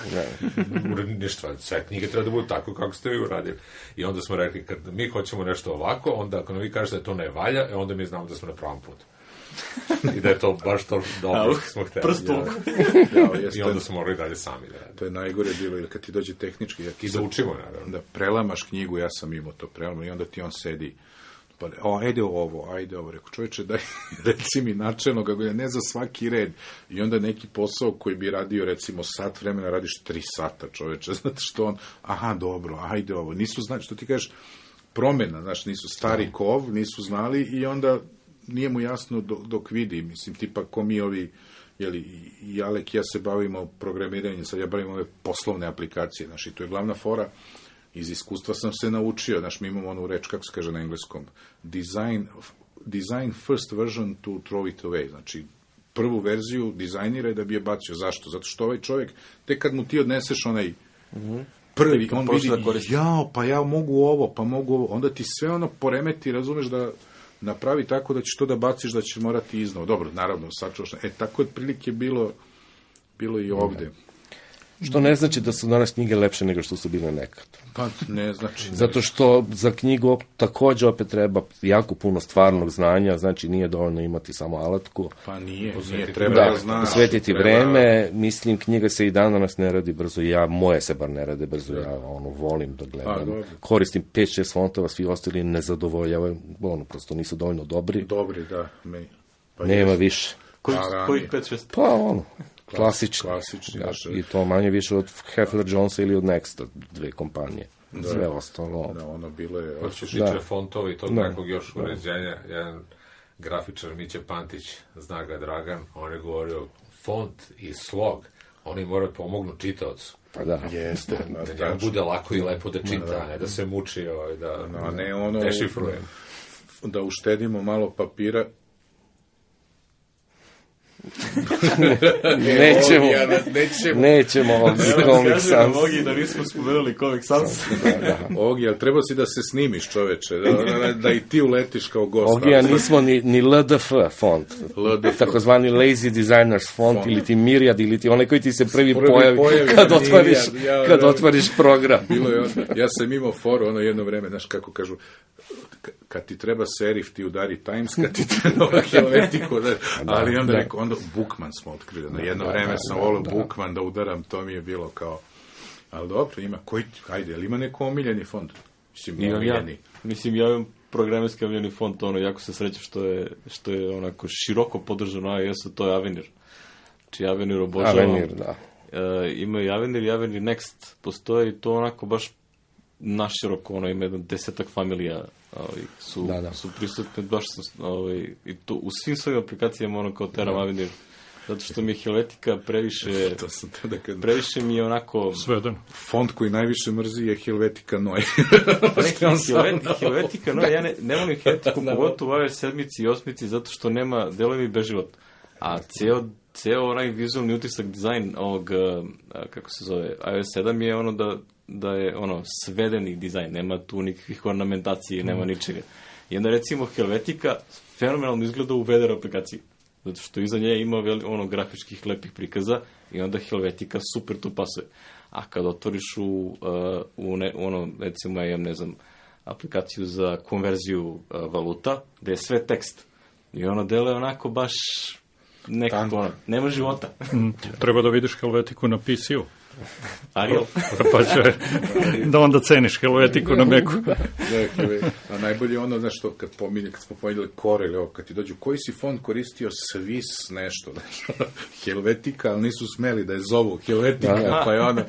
uredništva. Sve knjige treba da budu tako kako ste vi uradili. I onda smo rekli, kad mi hoćemo nešto ovako, onda ako nam vi kažete da to ne valja, onda mi znamo da smo na pravom putu. I da je to baš to dobro što smo hteli. I onda smo morali dalje sami da radimo. To je najgore bilo, ili kad ti dođe tehnički... I da učimo, naravno. Da prelamaš knjigu, ja sam imao to prelamo, i onda ti on sedi, pa, ajde ovo, rekao, čovječe, daj, reci mi načelno, ne za svaki red. I onda neki posao koji bi radio, recimo, sat vremena, radiš 3 sata, čovječe, zato što on, dobro, ajde ovo, nisu znali, što ti kažeš, promjena, znaš, nisu stari kov, nisu znali i onda nije mu jasno dok vidi, mislim, tipa ko mi ovi, i Alek i ja se bavimo programiranjem, sad ja bavim ove poslovne aplikacije, znaš, i to je glavna fora, iz iskustva sam se naučio, znaš, mi imamo onu reč, kako se kaže na engleskom, design first version to throw it away, znači, prvu verziju dizajniraj da bi je bacio. Zašto? Zato što ovaj čovjek, tek kad mu ti odneseš onaj prvi, on vidi, ja mogu ovo, onda ti sve ono poremeti, razumeš, da napravi tako da ćeš to da baciš, da ćeš morati iznova. Dobro, naravno, sačuvaš. Tako je otprilike bilo i ovde. Što ne znači da su danas knjige lepše nego što su bile nekad. Pa ne znači. Zato što za knjigu također opet treba jako puno stvarnog znanja, znači nije dovoljno imati samo alatku. Pa nije treba da znaš. Posvetiti vreme, mislim, knjiga se i dan danas ne radi brzo, moje se bar ne rade brzo, ja volim da gledam. Koristim 5-6 fontova, svi ostali ne zadovoljavaju, prosto nisu dovoljno dobri. Dobri, da. Nema više. Kojih 5-6? Pa klasični, i to manje više od Heffler Jonesa ili od Nexta, 2 kompanije. Sve ostalo. Da, ono bilo je... Što se tiče fontova i tog nekog još uređenja, jedan grafičar Miće Pantić, zna ga Dragan, on je govorio, font i slog, oni moraju pomognu čitaocu. Pa da. Jeste. Da njemu bude lako i lepo da čita, a ne da se muči, da dešifruje. Da uštedimo malo papira. Nećemo Comic Sans. Ogi, da nismo spomenuli Comic Sans. Ogi, ali treba si da se snimiš, čoveče, da i ti uletiš kao gost. Ogi, a nismo ni LDF font, takozvani Lazy Designers font, ili ti Myriad, ili ti onaj koji ti se prvi pojavi kad otvoriš program. Ja sam imao foru jedno vreme, znaš kako kažu, kad ti treba serif, ti udari Times, kad ti treba Helvetiku, ali onda Bookman smo otkrili. Na jedno vreme sam volio Bookman da udaram, to mi je bilo kao, ali dobro, ima, ali ima neko omiljeni font? Mislim, ja imam programerski omiljeni font, jako se srećem što je onako široko podržano na iOS-u, to je Avenir. Znači, Avenir obožavam. Avenir, da. Imaju Avenir i Avenir Next, postoji to onako baš naširoko, ima 10-ak familija su prisutne, baš i to u svim svojim aplikacijama kao teram Avenir, zato što mi je Helvetica previše mi je onako sveden. Font koji najviše mrzi je Helvetica Noi. Helvetica Noi, ja ne volim Helvetiku, pogotovo u iOS 7 i 8, zato što nema delovi bez života, a ceo onaj vizualni utisak, dizajn ovog, kako se zove, iOS 7 je da je svedeni dizajn, nema tu nikakvih ornamentacije, nema ničega. I onda recimo Helvetica fenomenalno izgleda u weather aplikaciji, zato što iza nje ima grafičkih lepih prikaza i onda Helvetica super tu pasuje. A kad otvoriš recimo ja imam, aplikaciju za konverziju valuta, gde je sve tekst i ono deluje onako baš nekako, nema života. Treba da vidiš Helvetiku na PC-u. Arial. Pa će da onda ceniš Helvetiku na Macu. A najbolje ono, znaš što, kad smo pomenuli Corel, kad ti dođu, koji si font koristio, Swiss nešto, Helvetica, ali nisu smeli da je zovu Helvetica, pa je ono,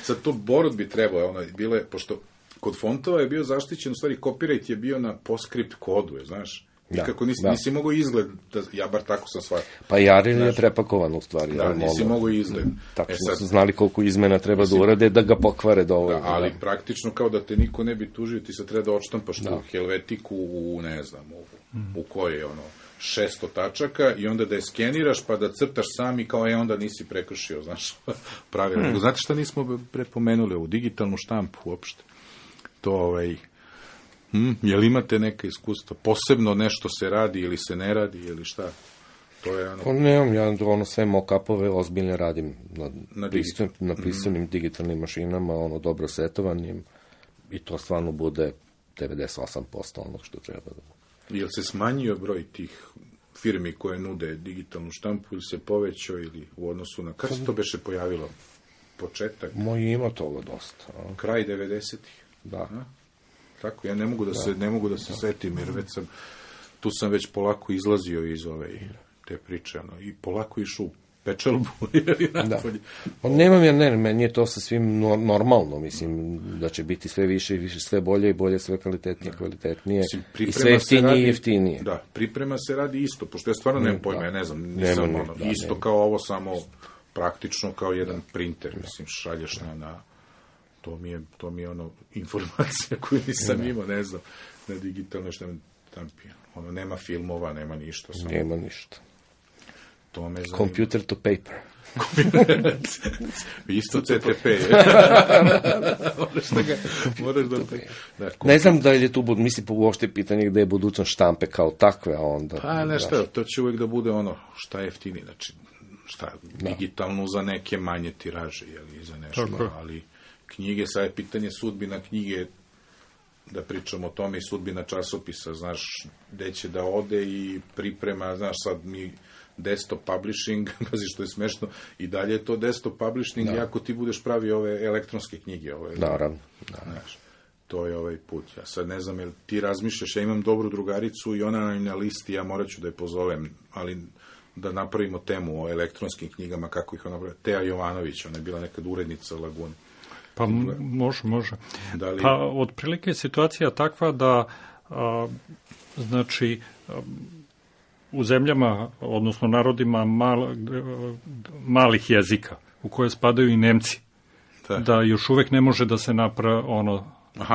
sad to Borod bi trebao, bile, pošto kod fontova je bio zaštićen, u stvari copyright je bio na PostScript kodu, znaš, Nikako nisi mogao izgled, ja bar tako sam shvatio. Pa Jaril je prepakovan u stvari. Da, nisi mogao izgled. Tako su znali koliko izmena treba da urade da ga pokvare dovoljno. Da, ali praktično kao da te niko ne bi tužio, ti se treba da odštampaš tu Helvetiku u, ne znam, u koje je 600 tačaka i onda da je skeniraš pa da crtaš sam i kao onda nisi prekršio, znaš, pravilno. Znate šta nismo prepomenuli ovu digitalnu štampu uopšte? To, je li imate neka iskustva? Posebno nešto se radi ili se ne radi ili šta? To je Nemam, ja sve mock-upove ozbiljne radim na pristojnim digitalnim mašinama, dobro setovanim i to stvarno bude 98% onog što treba da bude. Jel se smanjio broj tih firmi koje nude digitalnu štampu ili se povećao ili u odnosu na... Kad se to beše pojavilo? Početak? Ima toga dosta. Kraj 90-ih? Da. Tako, ja ne mogu da se setim, jer tu sam već polako izlazio iz te priče, i polako išao u pečalbu, ili napolje. Nemam, meni je to sa svim normalno, mislim, da će biti sve više i više, sve bolje i bolje, sve kvalitetnije, i sve jeftinije i jeftinije. Da, priprema se radi isto, pošto ja stvarno nemam pojma, ja ne znam, nisam isto kao ovo, samo praktično kao jedan printer, mislim, šalješ na to mi je informacija koju nisam imao, ne znam, na digitalnoj štampi. Nema filmova, nema ništa. Nema ništa. To me zanima. Computer to paper. Isto CTP. Moraš da... Ne znam da je tu, mislim, uopšte pitanje gde je budućnost štampe kao takve, a onda... Pa nešto, to će uvijek da bude šta je jeftini, znači, digitalno za neke manje tiraže, ili za nešto, ali knjige, sad je pitanje sudbina knjige, da pričamo o tome, i sudbina časopisa, znaš, gde će da ode i priprema, znaš, sad mi desktop publishing, pazi što je smešno, i dalje je to desktop publishing, ako ti budeš pravi ove elektronske knjige. Naravno. Znaš, to je ovaj put. Ja sad ne znam, jel ti razmišljaš, ja imam dobru drugaricu i ona na listi, ja morat ću da je pozovem, ali da napravimo temu o elektronskim knjigama, kako ih ona pravi. Teja Jovanović, ona je bila nekad urednica Lagune. Pa može. Pa otprilike je situacija takva da znači u zemljama, odnosno narodima malih jezika, u koje spadaju i Nemci, da još uvek ne može da se napravi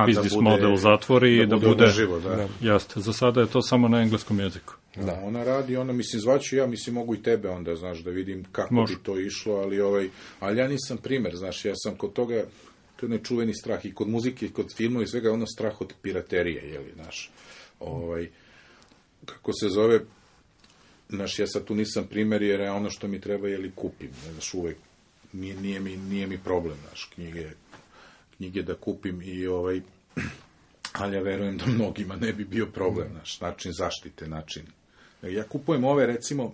biznis model zatvori i da bude živo, Jeste, za sada je to samo na engleskom jeziku. Da, ona radi, mislim, zvaću ja, mislim, mogu i tebe onda, znaš, da vidim kako bi to išlo, ali ja nisam primer, znaš, ja sam kod toga, to je nečuveni strah i kod muzike, i kod filmova i svega, strah od piraterije, znaš, kako se zove, znaš, ja sad tu nisam primer, jer ono što mi treba, kupim, znaš, uvek, nije mi problem, znaš, knjige da kupim ali ja verujem da mnogima ne bi bio problem, znaš, način zaštite, Ja kupujem ove, recimo,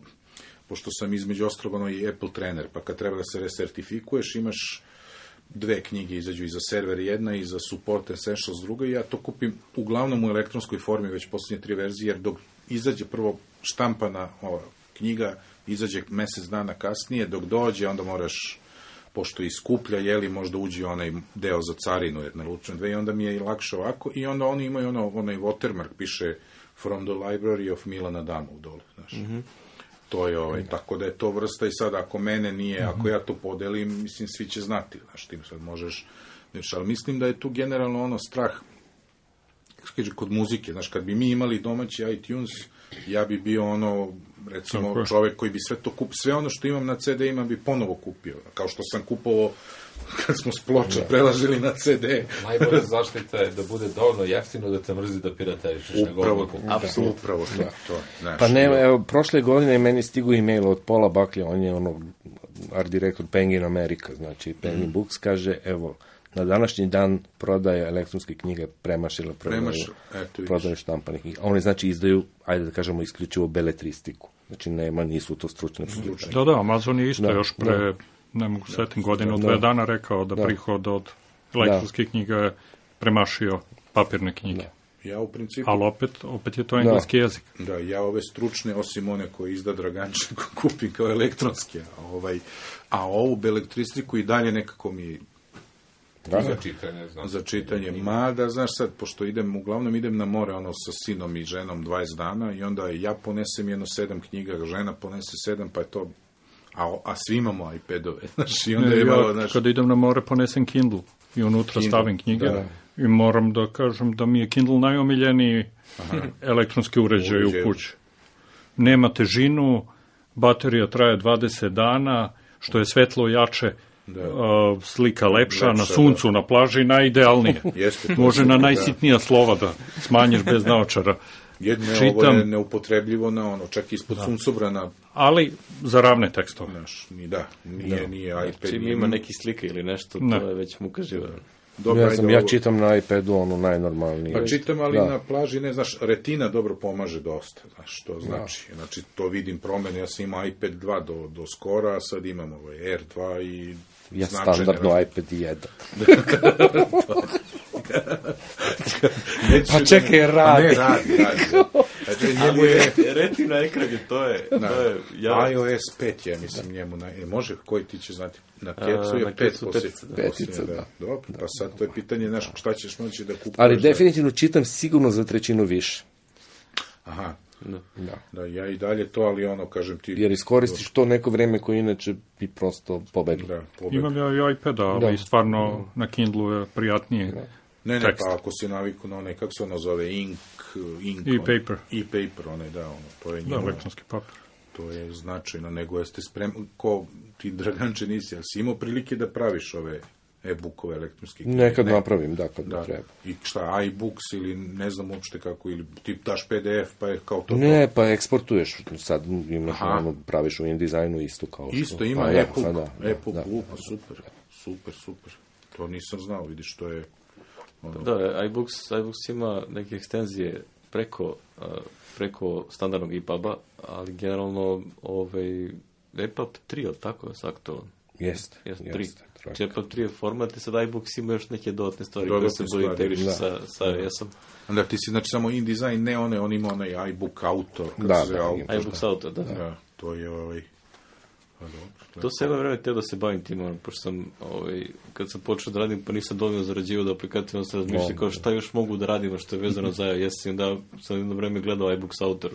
pošto sam između ostalog i Apple trener, pa kad treba da se resertifikuješ, imaš 2 knjige, izađu i za server jedna i za support essentials druga, i ja to kupim uglavnom u elektronskoj formi, već posljednje 3 verzije, jer dok izađe prvo štampana knjiga, izađe mesec dana kasnije, dok dođe, onda moraš, pošto iskuplja, možda uđe onaj deo za carinu, jer naručujem 2, i onda mi je lakše ovako, i onda oni imaju onaj watermark, piše From the Library of Milana Damov dole, znaš. To je tako da je to vrsta, i sad ako mene nije, ako ja to podelim, mislim, svi će znati, znaš, tim sad možeš, ali mislim da je tu generalno strah, kod muzike, znaš, kad bi mi imali domaći iTunes, ja bi bio recimo, čovek koji bi sve to kupio, sve ono što imam na CD-ima bi ponovo kupio, kao što sam kupovao kad smo s ploča prelažili na CD. Najbolja zaštita je da bude dovoljno jeftino da te mrzi da piraterišeš. Upravo to. Pa ne, evo, prošle godine meni stigu e-mail od Paula Buckley, on je art direktor Penguin America, znači Penguin Books, kaže, evo, na današnji dan prodaja elektronske knjige premašila prodaju štampanih knjiga. Oni, znači, izdaju, ajde da kažemo, isključivo beletristiku. Znači, nisu to stručne. Da, Amazon je isto još pre, ne mogu setim, godinu, 2 dana rekao da prihod od elektronskih knjiga je premašio papirne knjige. Ja u principu... Ali opet je to engleski jezik. Da, ja ove stručne, osim one koje izda Draganče, kupim kao elektronske, a ovu beletristiku i dalje nekako mi Za čitanje, znam. Za čitanje. Mada, znaš sad, pošto uglavnom idem na more, sa sinom i ženom 20 dana i onda ja ponesem 7 knjiga, žena ponese 7, pa je to... A svi imamo iPadove, znaš, i onda je malo, znaš... Kada idem na more, ponesem Kindle i unutra stavim knjige. I moram da kažem da mi je Kindle najomiljeniji elektronski uređaj u kući. Nema težinu, baterija traje 20 dana, što je svetlo jače, slika lepša, na suncu, na plaži, najidealnije. Može na najsitnija slova da smanjiš bez naočara. Ovo je neupotrebljivo na čak ispod suncobrana. Ali za ravne tekstove. Nije iPad. Čim ima neki slike ili nešto, to je već muka živa. Ja čitam na iPadu najnormalnije. Pa čitam, ali na plaži, ne znaš, retina dobro pomaže dosta, znaš, što znači. Znači, to vidim promene, ja sam imao iPad 2 do skora, a sad imam Air 2 i... Ja standardno iPad 1. Pa čekaj, radi. Ne, radi. Retina ekran je, to je... iOS 5 je, mislim, njemu... Može, koji ti će znati? Na kecu je 5 da. Dobro, pa sad to je pitanje, znaš, šta ćeš moći da kupuješ. Ali definitivno čitam sigurno za trećinu više. Aha. Da, ja i dalje to, ali kažem ti... Jer iskoristiš to neko vreme koje inače bi prosto pobegli. Imam ja i iPada, ali stvarno na Kindlu je prijatnije. Ne, pa ako si naviku na kako se ono zove, e-paper. E-paper, to je njima. Da, elektronski papir. To je značajno, nego jeste spremni, ko ti, Draganče, nisi, ali si imao prilike da praviš ove e-bookove elektronske knjige? Nekad napravim, kad treba. I šta, iBooks ili ne znam uopšte kako, ili ti daš PDF pa je kao to? Ne, pa eksportuješ, sad imaš praviš u InDesignu isto kao što. Isto ima e-book, super. To nisam znao, vidiš, to je... Da, iBooks ima neke ekstenzije preko standardnog EPUB-a, ali generalno EPUB 3, ali tako je aktualan? Jeste. 3. EPUB 3 je format i sad iBooks ima još neke dodatne stvari koje se bolje integrišu sa iOS-om. Onda ti si, znači, samo InDesign, ne on ima onaj iBook Autor. iBooks Autor, da. To je To se jedno vreme teo da se bavim tim, pošto sam, kad sam počeo da radim, pa nisam dovoljno zarađivao da aplikativno se razmišlja kao šta još mogu da radimo što je vezano za iOS, i onda sam jedno vreme gledao iBooks Autor,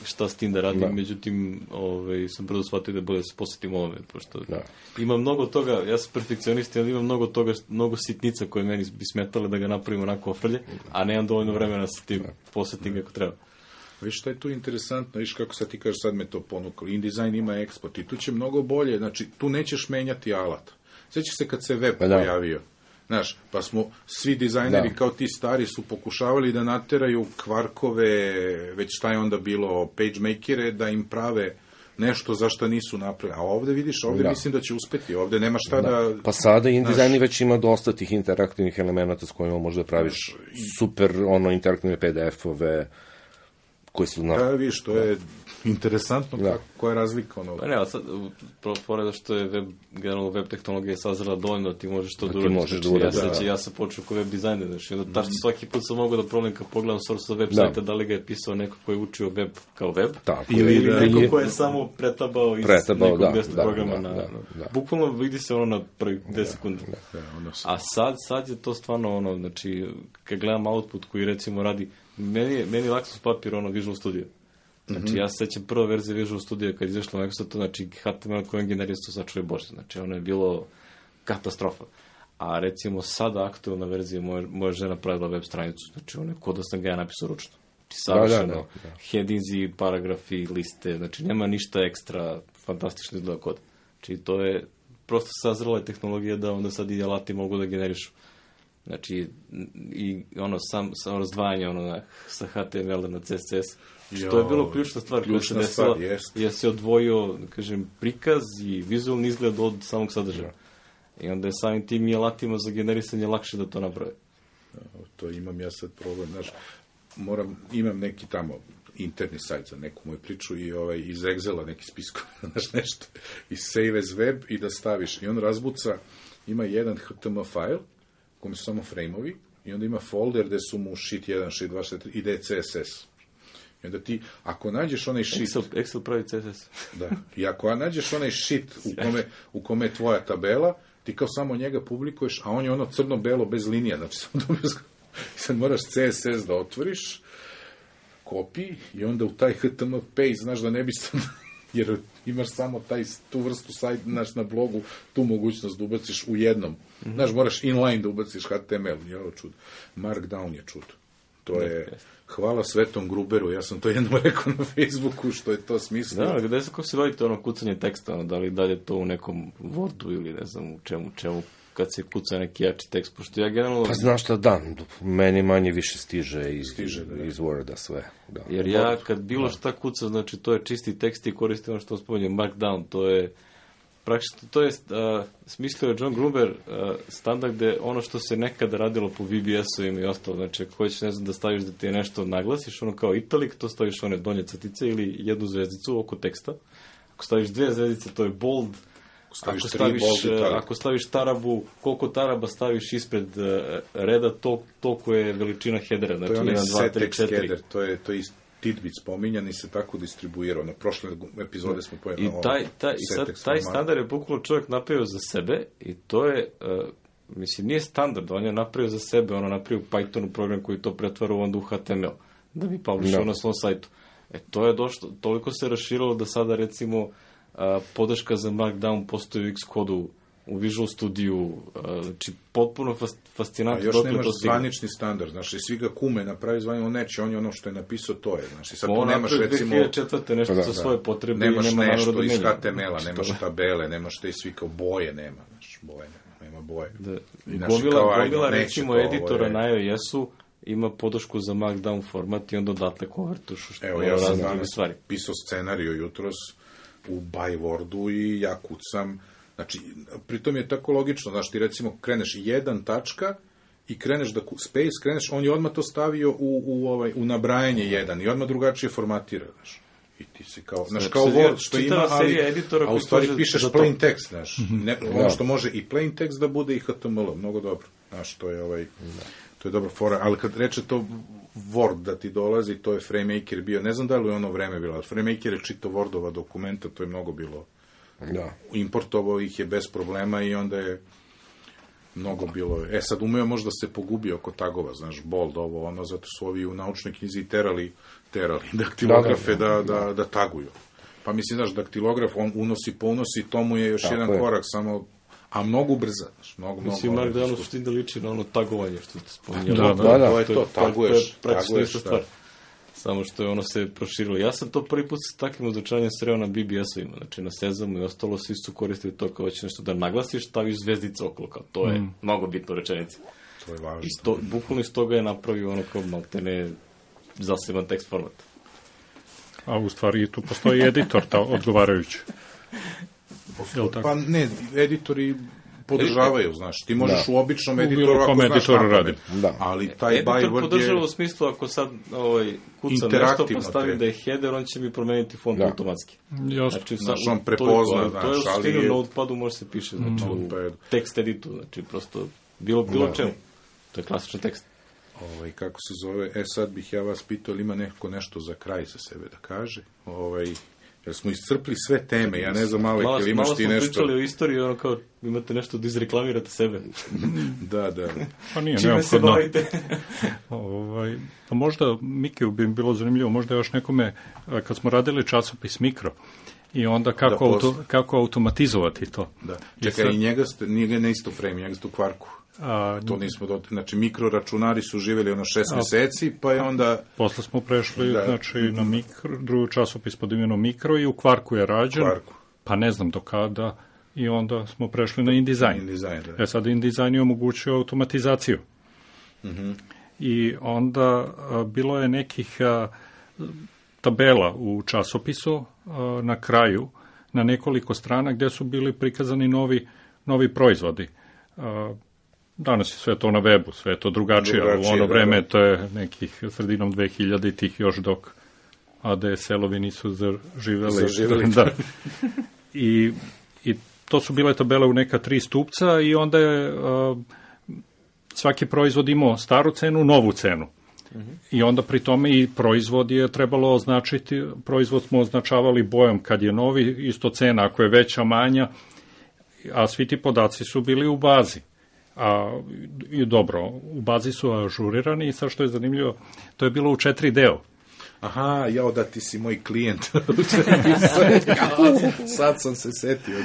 šta s tim da radim, međutim, sam brzo shvatio da je bolje da se posvetim ovome, pošto ima mnogo toga, ja sam perfekcionist, ali ima mnogo toga, mnogo sitnica koje meni bi smetale da ga napravim onako ofrlje, a nemam dovoljno vremena sa tim posvetim kako treba. Viš šta je tu interesantno, viš kako sad ti kažeš, sad me to ponukalo. InDesign ima eksport i tu će mnogo bolje, znači tu nećeš menjati alat. Sjećaš se kad se web pojavio, znaš, pa smo svi dizajneri kao ti stari su pokušavali da nateraju kvarkove, već šta je onda bilo, pagemakere, da im prave nešto za što nisu napravili. A ovde vidiš, mislim da će uspeti, ovde nema šta da... Pa sada InDesign već ima dosta tih interaktivnih elemenata s kojima možda praviš super interaktivne PDF-ove, koji su viš, to je interesantno koja je razlika. Pa ne, ali sad, pored što je generalno web tehnologija sazrela dovoljno, ti možeš to da uradiš. Ja sam počeo kao web dizajner, znači, tačno svaki put sam mogao da problem kad pogledam source web sajta, da li ga je pisao neko ko je učio web kao web, ili neko ko je samo pretabao iz nekog mjesta programa. Bukvalno vidi se na prvih 10 sekundi. A sad je to stvarno znači, kad gledam output koji recimo radi, meni Lexus papir Visual Studio. Znači, ja se sećam prva verzija Visual Studio kad izašla Microsoftu, znači HTML kojem generira su sačuje Bože. Znači, ono je bilo katastrofa. A recimo sada aktualna verzija moja žena pravila web stranicu. Znači, ono je kod da sam ga ja napisao ručno. Znači, savršeno. Headinzi, paragrafi, liste. Znači, nema ništa ekstra fantastično izgleda kod. Znači, to je prosto sazrela tehnologija da onda sad i alati mogu da generišu. Znači, i samo razdvajanje sa HTML na CSS, što je bilo ključna stvar koja se desila, jer se odvojio, kažem, prikaz i vizualni izgled od samog sadržaja. I onda je samim tim i alatima za generisanje lakše da to naprave. To imam ja sad problem, znaš, imam neki tamo interni sajt za neku moju priču i iz Excela neki spiskov, znaš, nešto, i save as web i da staviš, i on razbuca, ima jedan HTML file, kome su samo frame-ovi, i onda ima folder gde su mu sheet 1, sheet 2, sheet 3, i gde je CSS. I onda ti, ako nađeš onaj sheet... Excel pravi CSS. Da, i ako nađeš onaj sheet u kome je tvoja tabela, ti kao samo njega publikuješ, a on je ono crno-belo bez linija, znači samo dobio, sad moraš CSS da otvoriš, kopiji i onda u taj HTML paste, znaš da ne bi sam, jer imaš samo tu vrstu sajta, znaš, na blogu, tu mogućnost da ubaciš u jednom. Znaš, moraš inline da ubaciš HTML, je ovo čudo. Markdown je čudo. To je, hvala Svetom Gruberu, ja sam to jednom rekao na Facebooku, što je to smislio. Da, gde se, kako se radite ono kucanje teksta, da li dalje to u nekom Wordu ili ne znam u čemu, kad se kuca neki jači tekst, pošto ja generalno... Pa znaš šta, da, meni manje više stiže iz Worda sve. Da. Jer ja kad bilo šta kuca, znači to je čisti tekst i koristim ono što spominjem, Markdown, to je praktično, to je smislio je John Gruber standard gde ono što se nekada radilo po VBS-ovima i ostalo, znači ako hoćeš, ne znam, da staviš da ti je nešto naglasiš, ono kao italic, to staviš one donje crtice ili jednu zvezdicu oko teksta, ako staviš 2 zvezdice, to je bold. Ako staviš tarabu, koliko taraba staviš ispred reda, toliko je veličina headera. Znači, to je onaj set-text header, to je tidbit spominjan i se tako distribuirao. Na prošle epizode smo pojeli na ovo. I taj standard je bukvalno čovjek napravio za sebe i to je, mislim, nije standard, on je napravio za sebe, ono napravio u Pythonu program koji to pretvara onda u HTML, da bi publishao na svom sajtu. To je došlo, toliko se raširilo da sada, recimo, podrška za Markdown postoji u Xcodu, u Visual Studio, znači potpuno fascinantno. Još nemaš zvanični standard, znači svi ga kume napravi zvanično, on neće, on je ono što je napisao, to je, znači sad tu nemaš recimo... 2004. nešto za svoje potrebe, nemaš nešto iz HTML-a, nemaš tabele, nemaš te svi kao boje, znači boje, nema boje. Gomila recimo editora na iOS-u ima podršku za Markdown format i onda odatle konvertuš što je razne druge stvari. Pisao scenariju jutros u Bywordu i ja kucam, znači, pritom je tako logično, znaš, ti recimo kreneš 1 tačka i kreneš da space, kreneš, on je odmah to stavio u nabrajanje 1 i odmah drugačije formatira, znaš. I ti si kao, znaš, kao Word što ima, a u stvari pišeš plain text, znaš. Ono što može i plain text da bude i HTML, mnogo dobro. Znaš, to je to je dobra fora, ali kad reče to Word da ti dolazi, to je FrameMaker bio, ne znam da li je ono vreme bilo, ali FrameMaker je čitao Wordova dokumenta, to je mnogo bilo. Importovao ih je bez problema i onda je mnogo bilo. Sad umeo možda se pogubio oko tagova, znaš, bold, ovo, ono, zato su ovi u naučnoj knjizi terali daktilografe da taguju. Pa mislim, znaš, daktilograf, on unosi, to mu je još jedan korak, samo, a mnogo brza, znaš, mnogo. Mislim, Markdown su ti da liči na ono tagovanje, što ste spominjali. To je to, taguješ, stvar. Samo što je ono se proširilo. Ja sam to prvi put s takvim označavanjem sreo na BBS-ovima, znači na Sezamu i ostalo, svi su koristili to kao će nešto da naglasiš, staviš zvezdice okolo, kao to je mnogo bitno rečenici. To je važno. Bukvalno iz toga je napravio ono kao maltene zaseban tekst format. A u stvari tu postoji editor, odgovarajući. Pa ne, editori podržavaju, znaš, ti možeš u običnom editoru ako znaš radi. Ali taj Byword je... Editor podržava u smislu, ako sad kucam nešto pa stavim da je header, on će mi promeniti font automatski. Znači, on prepozna, znaš, to je u suštini u Notepadu može se piše, znači u tekst editu, znači prosto bilo čemu. To je klasičan tekst. Kako se zove, sad bih ja vas pitao, ili ima neko nešto za kraj za sebe da kaže, jer smo iscrpli sve teme, ja ne znam, malo imaš ti nešto... Malo smo pričali o istoriji, ono kao, imate nešto da izreklamirate sebe. Da. Pa nije čime neophodno. Se bavite? Pa možda, Mikiju bi bilo zanimljivo, možda još nekome, kad smo radili časopis Mikro, i onda kako automatizovati to. Da. Čekaj, i njega ne isto premi, njega ste u kvarku. To nismo znači mikroračunari su živjeli 6 meseci, pa je onda... Posle smo prešli, znači, na drugi časopis pod imenom Mikro i u kvarku je rađen, pa ne znam do kada, i onda smo prešli na InDesign. Sad InDesign je omogućio automatizaciju. I onda bilo je nekih tabela u časopisu na kraju, na nekoliko strana gdje su bili prikazani novi proizvodi. Danas je sve to na webu, sve je to drugačije, u ono vreme to je nekih sredinom 2000-ih još dok ADSL-ovi nisu zaživeli. Da. I to su bile tabele u neka 3 stupca i onda je svaki proizvod imao staru cenu, novu cenu. I onda pri tome i proizvod je trebalo označiti, proizvod smo označavali bojom kad je novi, isto cena ako je veća, manja. a svi ti podaci su bili u bazi. I dobro, u bazi su ažurirani i sad što je zanimljivo, to je bilo u 4 deo. Aha, da ti si moj klijent. Sad sam se setio.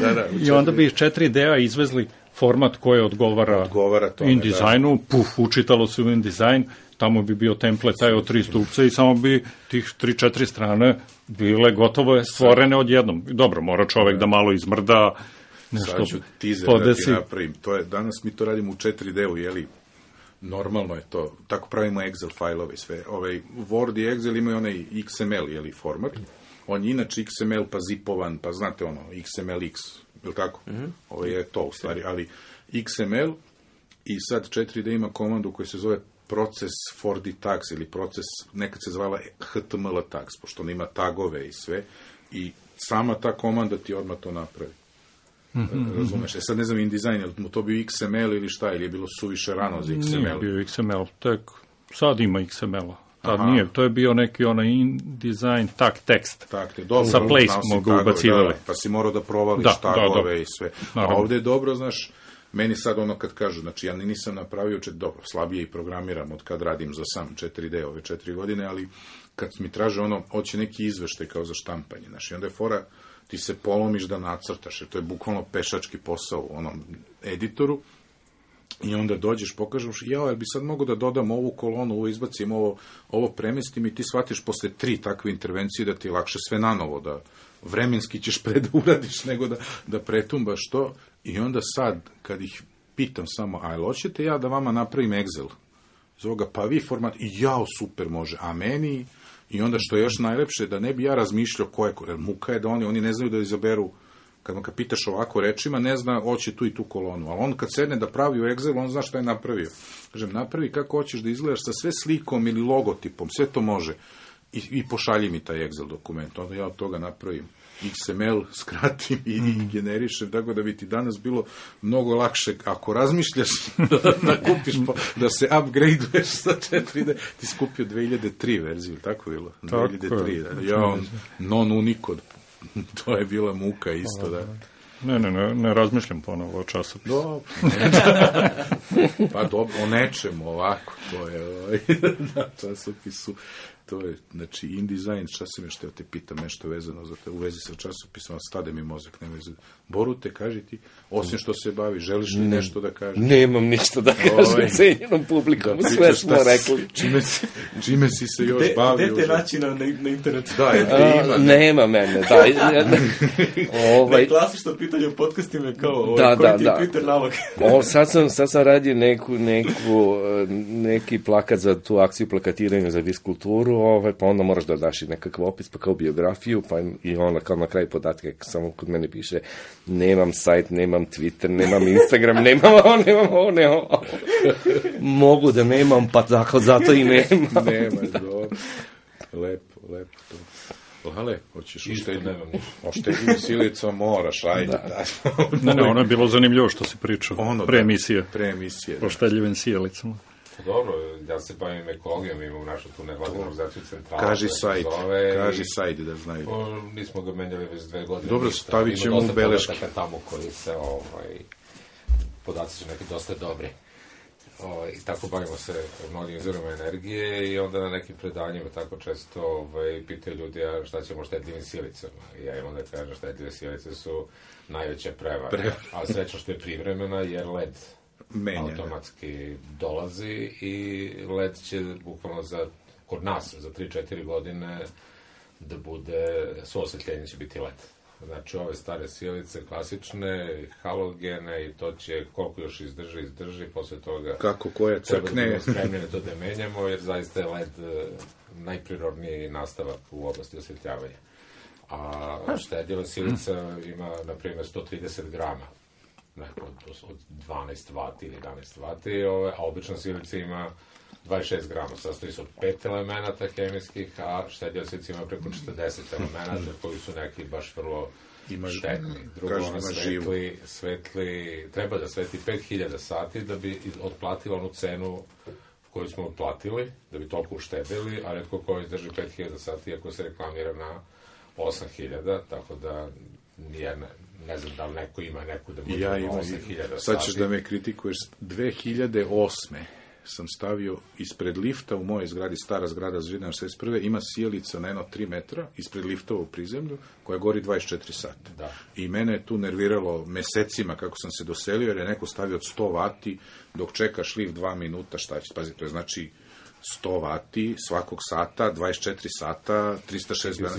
I onda bi iz 4 dea izvezli format koji odgovara tome, InDesignu, učitalo se u InDesign, tamo bi bio template taj od 3 stupca i samo bi tih 3-4 strane bile gotovo stvorene odjednom. Dobro, mora čovek da malo izmrda, nešto sad ću teaser podesi. Da ti napravim. Danas mi to radimo u 4D-u, jeli? Normalno je to. Tako pravimo Excel fajlove sve. Word i Excel imaju onaj XML, jeli, format. On je inače XML pa zipovan, pa znate ono, XMLX, je li tako? Ovo je to u stvari, ali XML i sad 4D ima komandu koja se zove proces 4D tags ili proces, nekad se zvala HTML tags, pošto on ima tagove i sve, i sama ta komanda ti odmah to napravi. Razumeš? Sad ne znam InDesign, je li mu to bio XML ili šta, ili je bilo suviše rano za XML? Nije bio XML, tek sad ima XML-a. Tad nije, to je bio neki onaj InDesign tekst. Sa place smo ga ubacivali. Pa si morao da provališ tagove i sve. A ovde je dobro, znaš, meni sad ono kad kažu, znači ja nisam napravio, dobro, slabije i programiram od kad radim za sam 4D ove 4 godine, ali kad mi traže ono, hoće neki izveštaj kao za štampanje, znaš, i onda je fora, ti se polomiš da nacrtaš, jer to je bukvalno pešački posao u onom editoru, i onda dođeš, pokažeš, jel bi sad mogu da dodam ovu kolonu, ovo izbacim, ovo premestim, i ti shvatiš posle 3 takve intervencije da ti je lakše sve nanovo, da vremenski ćeš pre da uradiš nego da pretumbaš to, i onda sad, kad ih pitam samo, a jel hoćete ja da vama napravim Excel? Iz ovoga, pa vi format, i jao, super može, a meni, i onda što je još najlepše, da ne bi ja razmišljao ko je, jer muka je da oni ne znaju da izaberu, kad pitaš ovako rečima, ne zna, hoće tu i tu kolonu, ali on kad sedne da pravi u Excelu, on zna šta je napravio. Kažem, napravi kako hoćeš da izgledaš sa sve slikom ili logotipom, sve to može, i pošalji mi taj Excel dokument, onda ja od toga napravim XML, skratim i generišem, tako da bi ti danas bilo mnogo lakše, ako razmišljaš da kupiš, da se upgradeuješ sa 4D, ti skupio 2003 verziju, tako bilo? 2003, ja, non-unicode, to je bila muka isto, da. Ne razmišljam ponovo o časopisu. Dobro. Pa dobro, o nečemu ovako, to je na časopisu. To je, znači, InDesign, šta sam još teo te pitam, nešto vezano za te, u vezi sa časopisom, a stade mi mozak, ne vezi. Borute, kaži ti, osim što se bavi, želiš li nešto da kažeš? Nemam ništa da kažem cenjenom publikom, sve smo rekli. Čime si se još bavio? Gde te naći na internetu? Da, ima. Nema mene, da. Klasično pitanje u podcastima je kao, koji ti je Twitter nalog? Sad sam radio neki plakat za tu akciju plakatiranja za viskulturu, pa onda moraš da daš i nekakav opis, pa kao biografiju, pa i onda kao na kraju podatke, samo kod mene piše, nemam sajt, nemam Twitter, nemam Instagram, nemam ovo. Mogu da nemam, pa tako, zato i nemam. Nemaš, dobro. Lepo to. Ale, hoćeš oštediti Silica, moraš, ajde. Ne, ono je bilo zanimljivo što si pričao, pre emisije. O štedljivim sijelicama. Dobro, ja se bavim ekologijom, imam našu tu nevladinu organizaciju centrala. Kaži sajt da znaju. Nismo ga menjali već 2 godine. Dobro, stavit ćemo u beleške. Ima dosta tamo koji se, podaci su neki dosta dobri. I tako bavimo se mnogim izvorima energije i onda na nekim predanjima tako često pitaju ljudi šta ćemo štedljivim silicama. I ja im onda kažem štedljive silice su najveća prevara. Ali srećno što je privremena jer led automatski dolazi i led će bukvalno kod nas za 3-4 godine da bude, svo osvetljenje će biti led. Znači ove stare silice, klasične, halogene i to će koliko još izdrži, posle toga koja crkne. Treba da budemo spremni to da menjamo jer zaista je led najprirodniji nastavak u oblasti osvetljavanja. A štedljiva silica ima, na primjer, 130 grama. Od 12 vati ili 11 vati, a obična silica ima 26 grama, sastoji se od 5 elemenata hemijskih, a štedljiva silica ima preko 40 elemenata koji su neki baš vrlo štetni. Drugo, ona svetli, treba da svetli 5000 sati da bi otplatila onu cenu koju smo otplatili, da bi toliko uštedili, a retko koji izdrži 5000 sati ako se reklamira na 8000, tako da ne znam da li neko ima neku da može 8.000 sati. Sad ćeš da me kritikuješ. 2008. sam stavio ispred lifta u mojoj zgradi, stara zgrada Zidana 61. ima sijalica na 3 metra ispred lifta u prizemlju koja gori 24 sata. Da. I mene je tu nerviralo mesecima kako sam se doselio, jer je neko stavio od 100 vati dok čekaš lift 2 minuta, šta će, pazi, to je znači 100 vati svakog sata, 24 sata, 306 dana.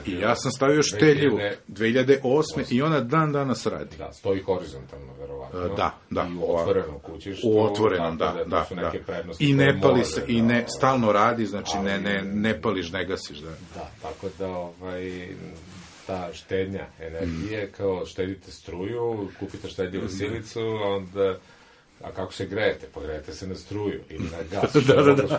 I ja sam stavio šteljivu 2008. i ona dan danas radi. Da, stoji horizontalno, verovatno. Da. I u otvorenom kući. U otvorenom, da. I ne pali se, i ne, stalno radi, znači ne pališ, ne gasiš. Da, tako da, ta štednja energije, kao štedite struju, kupite štedljivu silicu, onda... A kako se grejete? Pa grejete se na struju ili na gas. Pa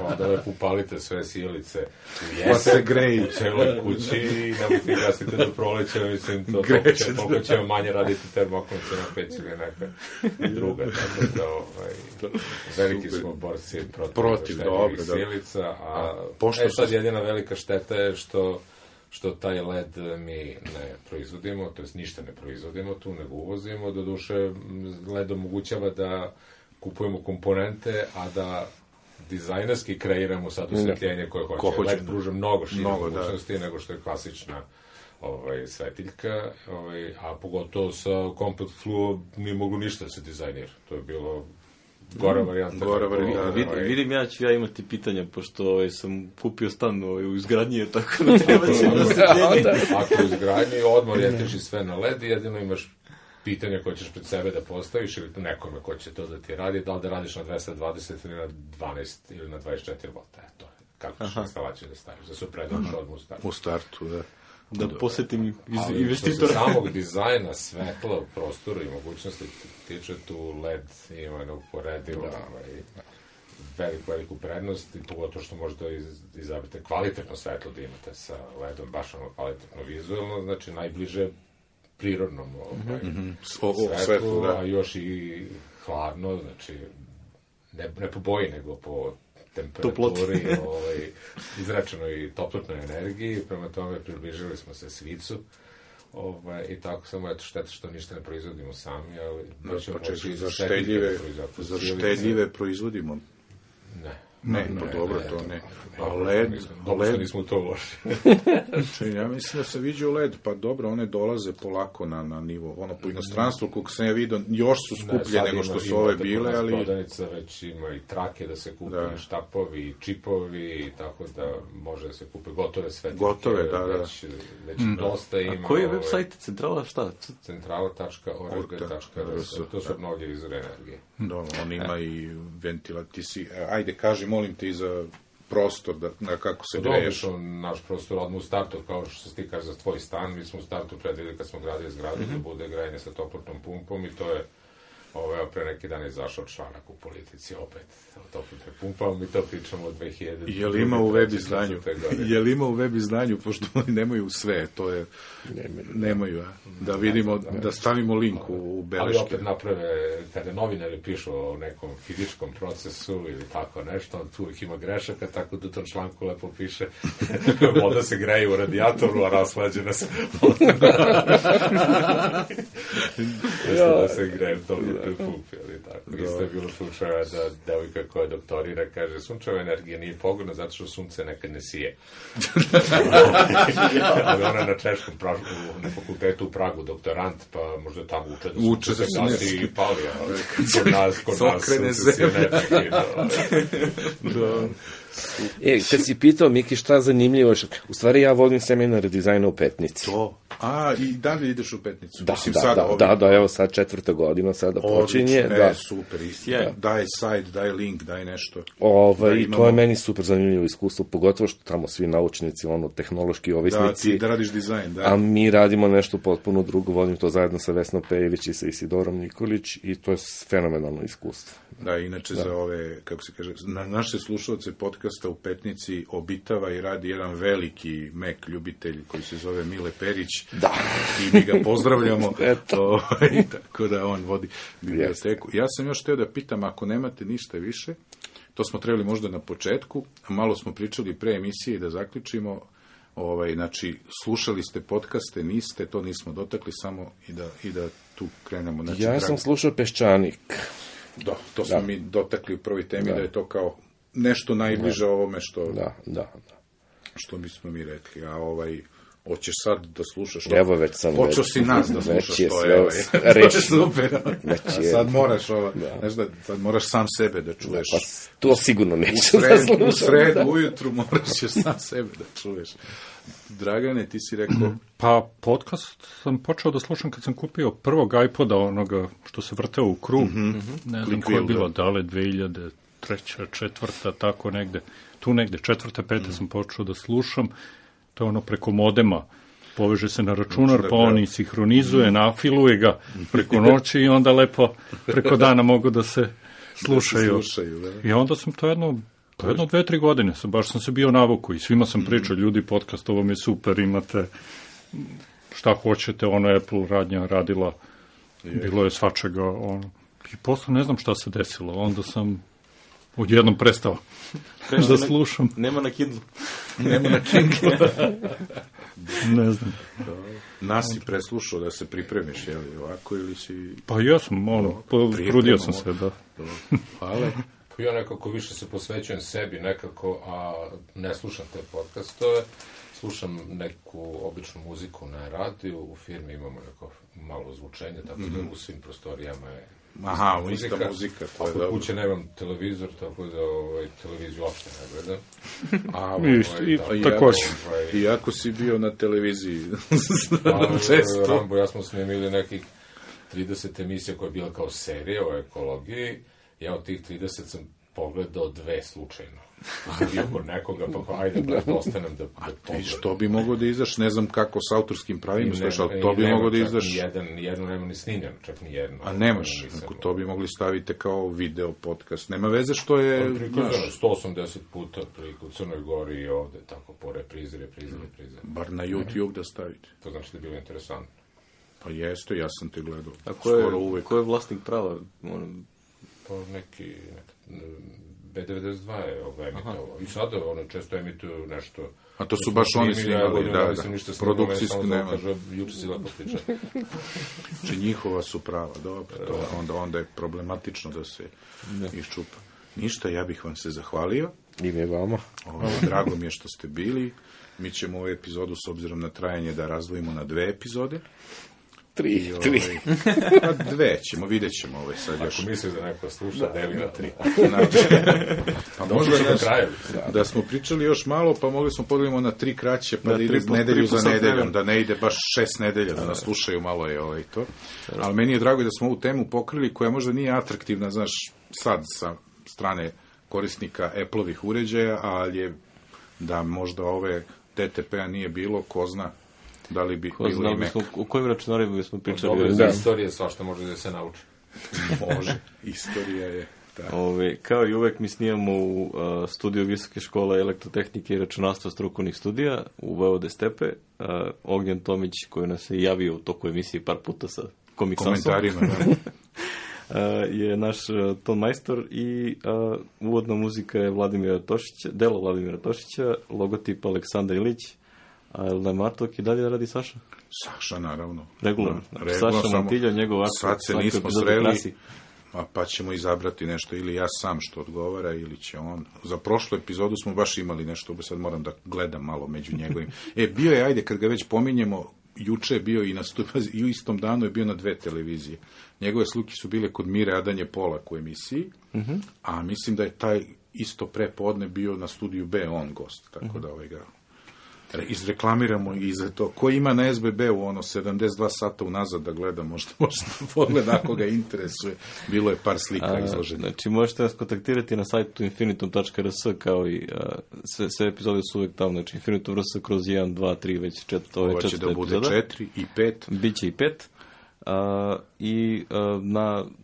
onda lepo upalite sve sijalice u jesen, pa se greji u celoj kući i nemojte gasite do proleća, mislim, toliko će manje raditi termokonce na peć ili neka druga. Tako da, veliki smo borci protiv štedljivih sijalica, a sad jedina velika šteta je što taj led mi ne proizvodimo, to jest ništa ne proizvodimo tu, nego uvozimo. Doduše, led omogućava da kupujemo komponente, a da dizajnerski kreiramo sad osvetljenje koje hoće. Led pruža mnogo šire mogućnosti nego što je klasična svetiljka, a pogotovo sa Compact Fluo nije moglo ništa da se dizajnira. To je bilo gora varijanta. Vidim, ja imati pitanja, pošto sam kupio stan u izgradnji, tako da treba će osvetljenje. Ako u izgradnji, odmah orijentiš sve na LED i jedino imaš pitanja koje ćeš pred sebe da postaviš ili nekome ko će to da ti radi, da li da radiš na 220 ili na 12 ili na 24 volta. Eto, kako ćeš instalaciju da staviš, da se predlaš odmah u startu. U startu, da. Da posjetim investitora. Ali što se samog dizajna, svetla u prostoru i mogućnosti tiče, tu LED ima neuporedivo veliku prednost, i pogotovo što možete izabrati kvalitetno svetlo da imate sa LED-om, baš ono kvalitetno vizualno, znači najbliže prirodnom svetlu, a još i hladno, znači ne po boji, nego po temperaturi, izrečenoj toplotnoj energiji, prema tome približili smo se svicu, i tako samo, eto, šteta što ništa ne proizvodimo sami, ali za štedljive proizvodimo. Ne, pa dobro, to ne. A LED... Dobro što nismo to uložili. Ja mislim da se viđu LED, pa dobro, one dolaze polako na nivo. Ono, po inostranstvu, kako sam ja vidio, još su skuplje nego što su ove bile, ali... Prodavnica već ima i trake da se kupe, štapovi, i čipovi, tako da može da se kupe gotove svetlike. Gotove, da. Već dosta ima... A koji je website? Centrala šta? Centrala.org.rs. To su mnoge izvore energije. Dobro, on ima i ventilaciju. Ajde, kaži, molim te, i za prostor, kako se greješ. Naš prostor odmah u startu, kao što se ti kaže za tvoj stan, mi smo u startu predvideli kad smo gradili zgradu da bude grejanje sa toplotnom pumpom, i to je pre neki dan izašao članak u Politici, opet o toplotne pumpama, mi to pričamo od 2000. Jel ima u web izdanju, pošto oni nemaju sve, to je... Nemaju, da vidimo, da stavimo link u beleške. Ali opet naprave, kada novinari pišu o nekom fizičkom procesu ili tako nešto, tu uvijek ima grešaka, tako da u tom članku lepo piše voda se greje u radijatoru, a raslađena se voda. Da se greje u toplotnoj pumpi, ali tako. Isto je bilo slučaja da devojka koja doktorira kaže, sunčeva energija nije pogodna zato što sunce nekad ne sije. Ali ona na češkom na fakultetu u Pragu doktorant, pa možda tamo uče da se gasi i pali, ali kod nas sunce sije kad si pitao, Miki, šta zanimljivo, u stvari ja volim seminare dizajna u Petnici. I dalje ideš u Petnicu? Da, evo sad 4. godina, sada počinje. Super, daj sajt, daj link, daj nešto. I to je meni super zanimljivo iskustvo, pogotovo što tamo svi naučnici, tehnološki ovisnici. Da radiš dizajn, da. A mi radimo nešto potpuno drugo, vodim to zajedno sa Vesnom Pejević i sa Isidorom Nikolić, i to je fenomenalno iskustvo. Da, inače za ove, kako se kaže, na naše slušalce podcasta u Petnici obitava i radi jedan veliki Mac ljubitelj koji se zove Mile Perić. Da. I mi ga pozdravljamo. Tako da on vodi biblioteku. Ja sam još htio da pitam, ako nemate ništa više, to smo trebali možda na početku, malo smo pričali pre emisije i da zaključimo, Znači, slušali ste podcaste, niste, to nismo dotakli, samo i da tu krenemo. Znači, ja sam slušao Peščanik. Da, to smo mi dotakli u prvoj temi, da je to kao nešto najbliže ovome što bismo mi rekli. A hoćeš sad da slušaš to? Evo već sam. Počeo si nas da slušaš to. To je super. Sad moraš sad moraš sam sebe da čuješ. Pa to sigurno neću da slušam. U sredu, ujutru moraš sam sebe da čuješ. Dragane, ti si rekao... Pa podcast sam počeo da slušam kad sam kupio prvog iPoda, onoga što se vrteo u krug. Ne znam koje je bilo, da li 2003. 4. tako negde. Tu negde, 4. 5. sam počeo da slušam. To je ono preko modema. Poveže se na računar, pa on i sinhronizuje, nafiluje ga preko noći i onda lepo preko dana mogu da se slušaju. I onda sam to jedno 2-3 godine, baš sam se bio navuku i svima sam pričao, ljudi, podcast, ovo mi je super, imate šta hoćete, Apple radnja radila, bilo je svačega, i posle ne znam šta se desilo, onda sam odjednom prestao da slušam. Nema na Kindle. Ne znam. Nas si preslušao da se pripremiš, je li ovako ili si... Pa ja sam, trudio sam se, da. Hvala. Ja nekako više se posvećujem sebi nekako, a ne slušam te podcastove, slušam neku običnu muziku na radiju, u firmi imamo neko malo zvučenje, tako da u svim prostorijama je ista muzika. A kod kuće nemam televizor, tako da televiziju uopšte ne gledam. Također. Iako si bio na televiziji često. Rambo, ja smo snimili nekih 30 emisija koja je bila kao serija o ekologiji. Ja od tih 30 sam pogledao 2 slučajno. Bio kod nekoga, pa ajde, ostanem da pogledam. Što bi mogo da izdaš, ne znam kako s autorskim pravima, ali to bi mogo da izdaš... Nijedno nema ni snimljeno, čak nijedno. A nemaš, to bi mogli staviti kao video podcast. Nema veze što je... 180 puta u Crnoj Gori i ovde, tako po reprize. Bar na YouTube da stavite. To znači da je bilo interesantno. Pa jeste, ja sam te gledao. A ko je vlasnik prava? Pa neki B92 je emitovao. I sada često emituju nešto... A to su baš oni snimali, da. Produkcijski nema. Juče si lepo priča. Znači njihova su prava, dobro. Onda je problematično da se iščupa. Ništa, ja bih vam se zahvalio. I mi vama. Drago mi je što ste bili. Mi ćemo ovu epizodu, s obzirom na trajanje, da razdvojimo na 2 epizode. 3. Pa 2 ćemo, vidjet ćemo sad još. Ako misliš da neko sluša, deli na 3. Pa možda da smo pričali još malo, pa mogli smo podijelimo na 3 kraće, pa da ide nedelju za nedeljom, da ne ide baš 6 nedelja, da nas slušaju malo je to. Ali meni je drago da smo ovu temu pokrili, koja možda nije atraktivna, znaš, sad sa strane korisnika Apple-ovih uređaja, ali je da možda ove DTP-a nije bilo, ko zna. Da li bi bilo ime? U kojim računarima bismo pričali? Dobro, za istorije svašta može da se nauči. Može, istorija je. Kao i uvek mi snijamo u studiju Visoke škole elektrotehnike i računarstva strukovnih studija u Vojvode Stepe. Ognjen Tomić, koji nas je javio u toku emisije par puta sa komentarima, je naš ton majstor i uvodna muzika je delo Vladimira Tošića, logotip Aleksandar Ilić. A je li Martok i dalje radi Saša? Saša, naravno. Regularno. Saša Montiljo, njegov aktor. Sad se nismo sreli, pa ćemo izabrati nešto, ili ja sam što odgovara, ili će on. Za prošlu epizodu smo baš imali nešto, sad moram da gledam malo među njegovim. Bio je, ajde, kad ga već pominjemo, juče je bio i u istom danu je bio na 2 televizije. Njegove slike su bile kod Mire Adanje Polak u emisiji, a mislim da je taj isto prepodne bio na studiju B, on gost, tako da ga izreklamiramo i za to. Ko ima na SBB-u 72 sata unazad da gleda, možda pogleda ako ga interesuje. Bilo je par slika izloženih. Znači, možete nas kontaktirati na sajtu infinitum.rs, kao i sve epizode su uvek tamo, znači infinitum.rs kroz 1, 2, 3, već 4 epizode. Ovo će da bude 4 i 5. Biće i 5.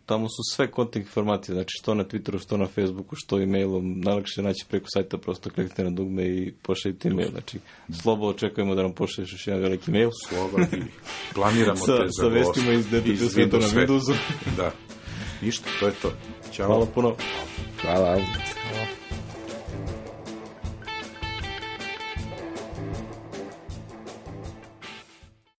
Tamo su sve kontakt informacije, znači što na Twitteru, što na Facebooku, što e-mailom, najlakše naći preko sajta, prosto kliknite na dugme i pošaljite e-mail, znači Slobo, očekujemo da nam pošalješ još jedan veliki e-mail. Slova i planiramo te za vestima iz DTP sveta na Windowsu. Da, ništa, to je to. Ćao. Hvala puno. Hvala.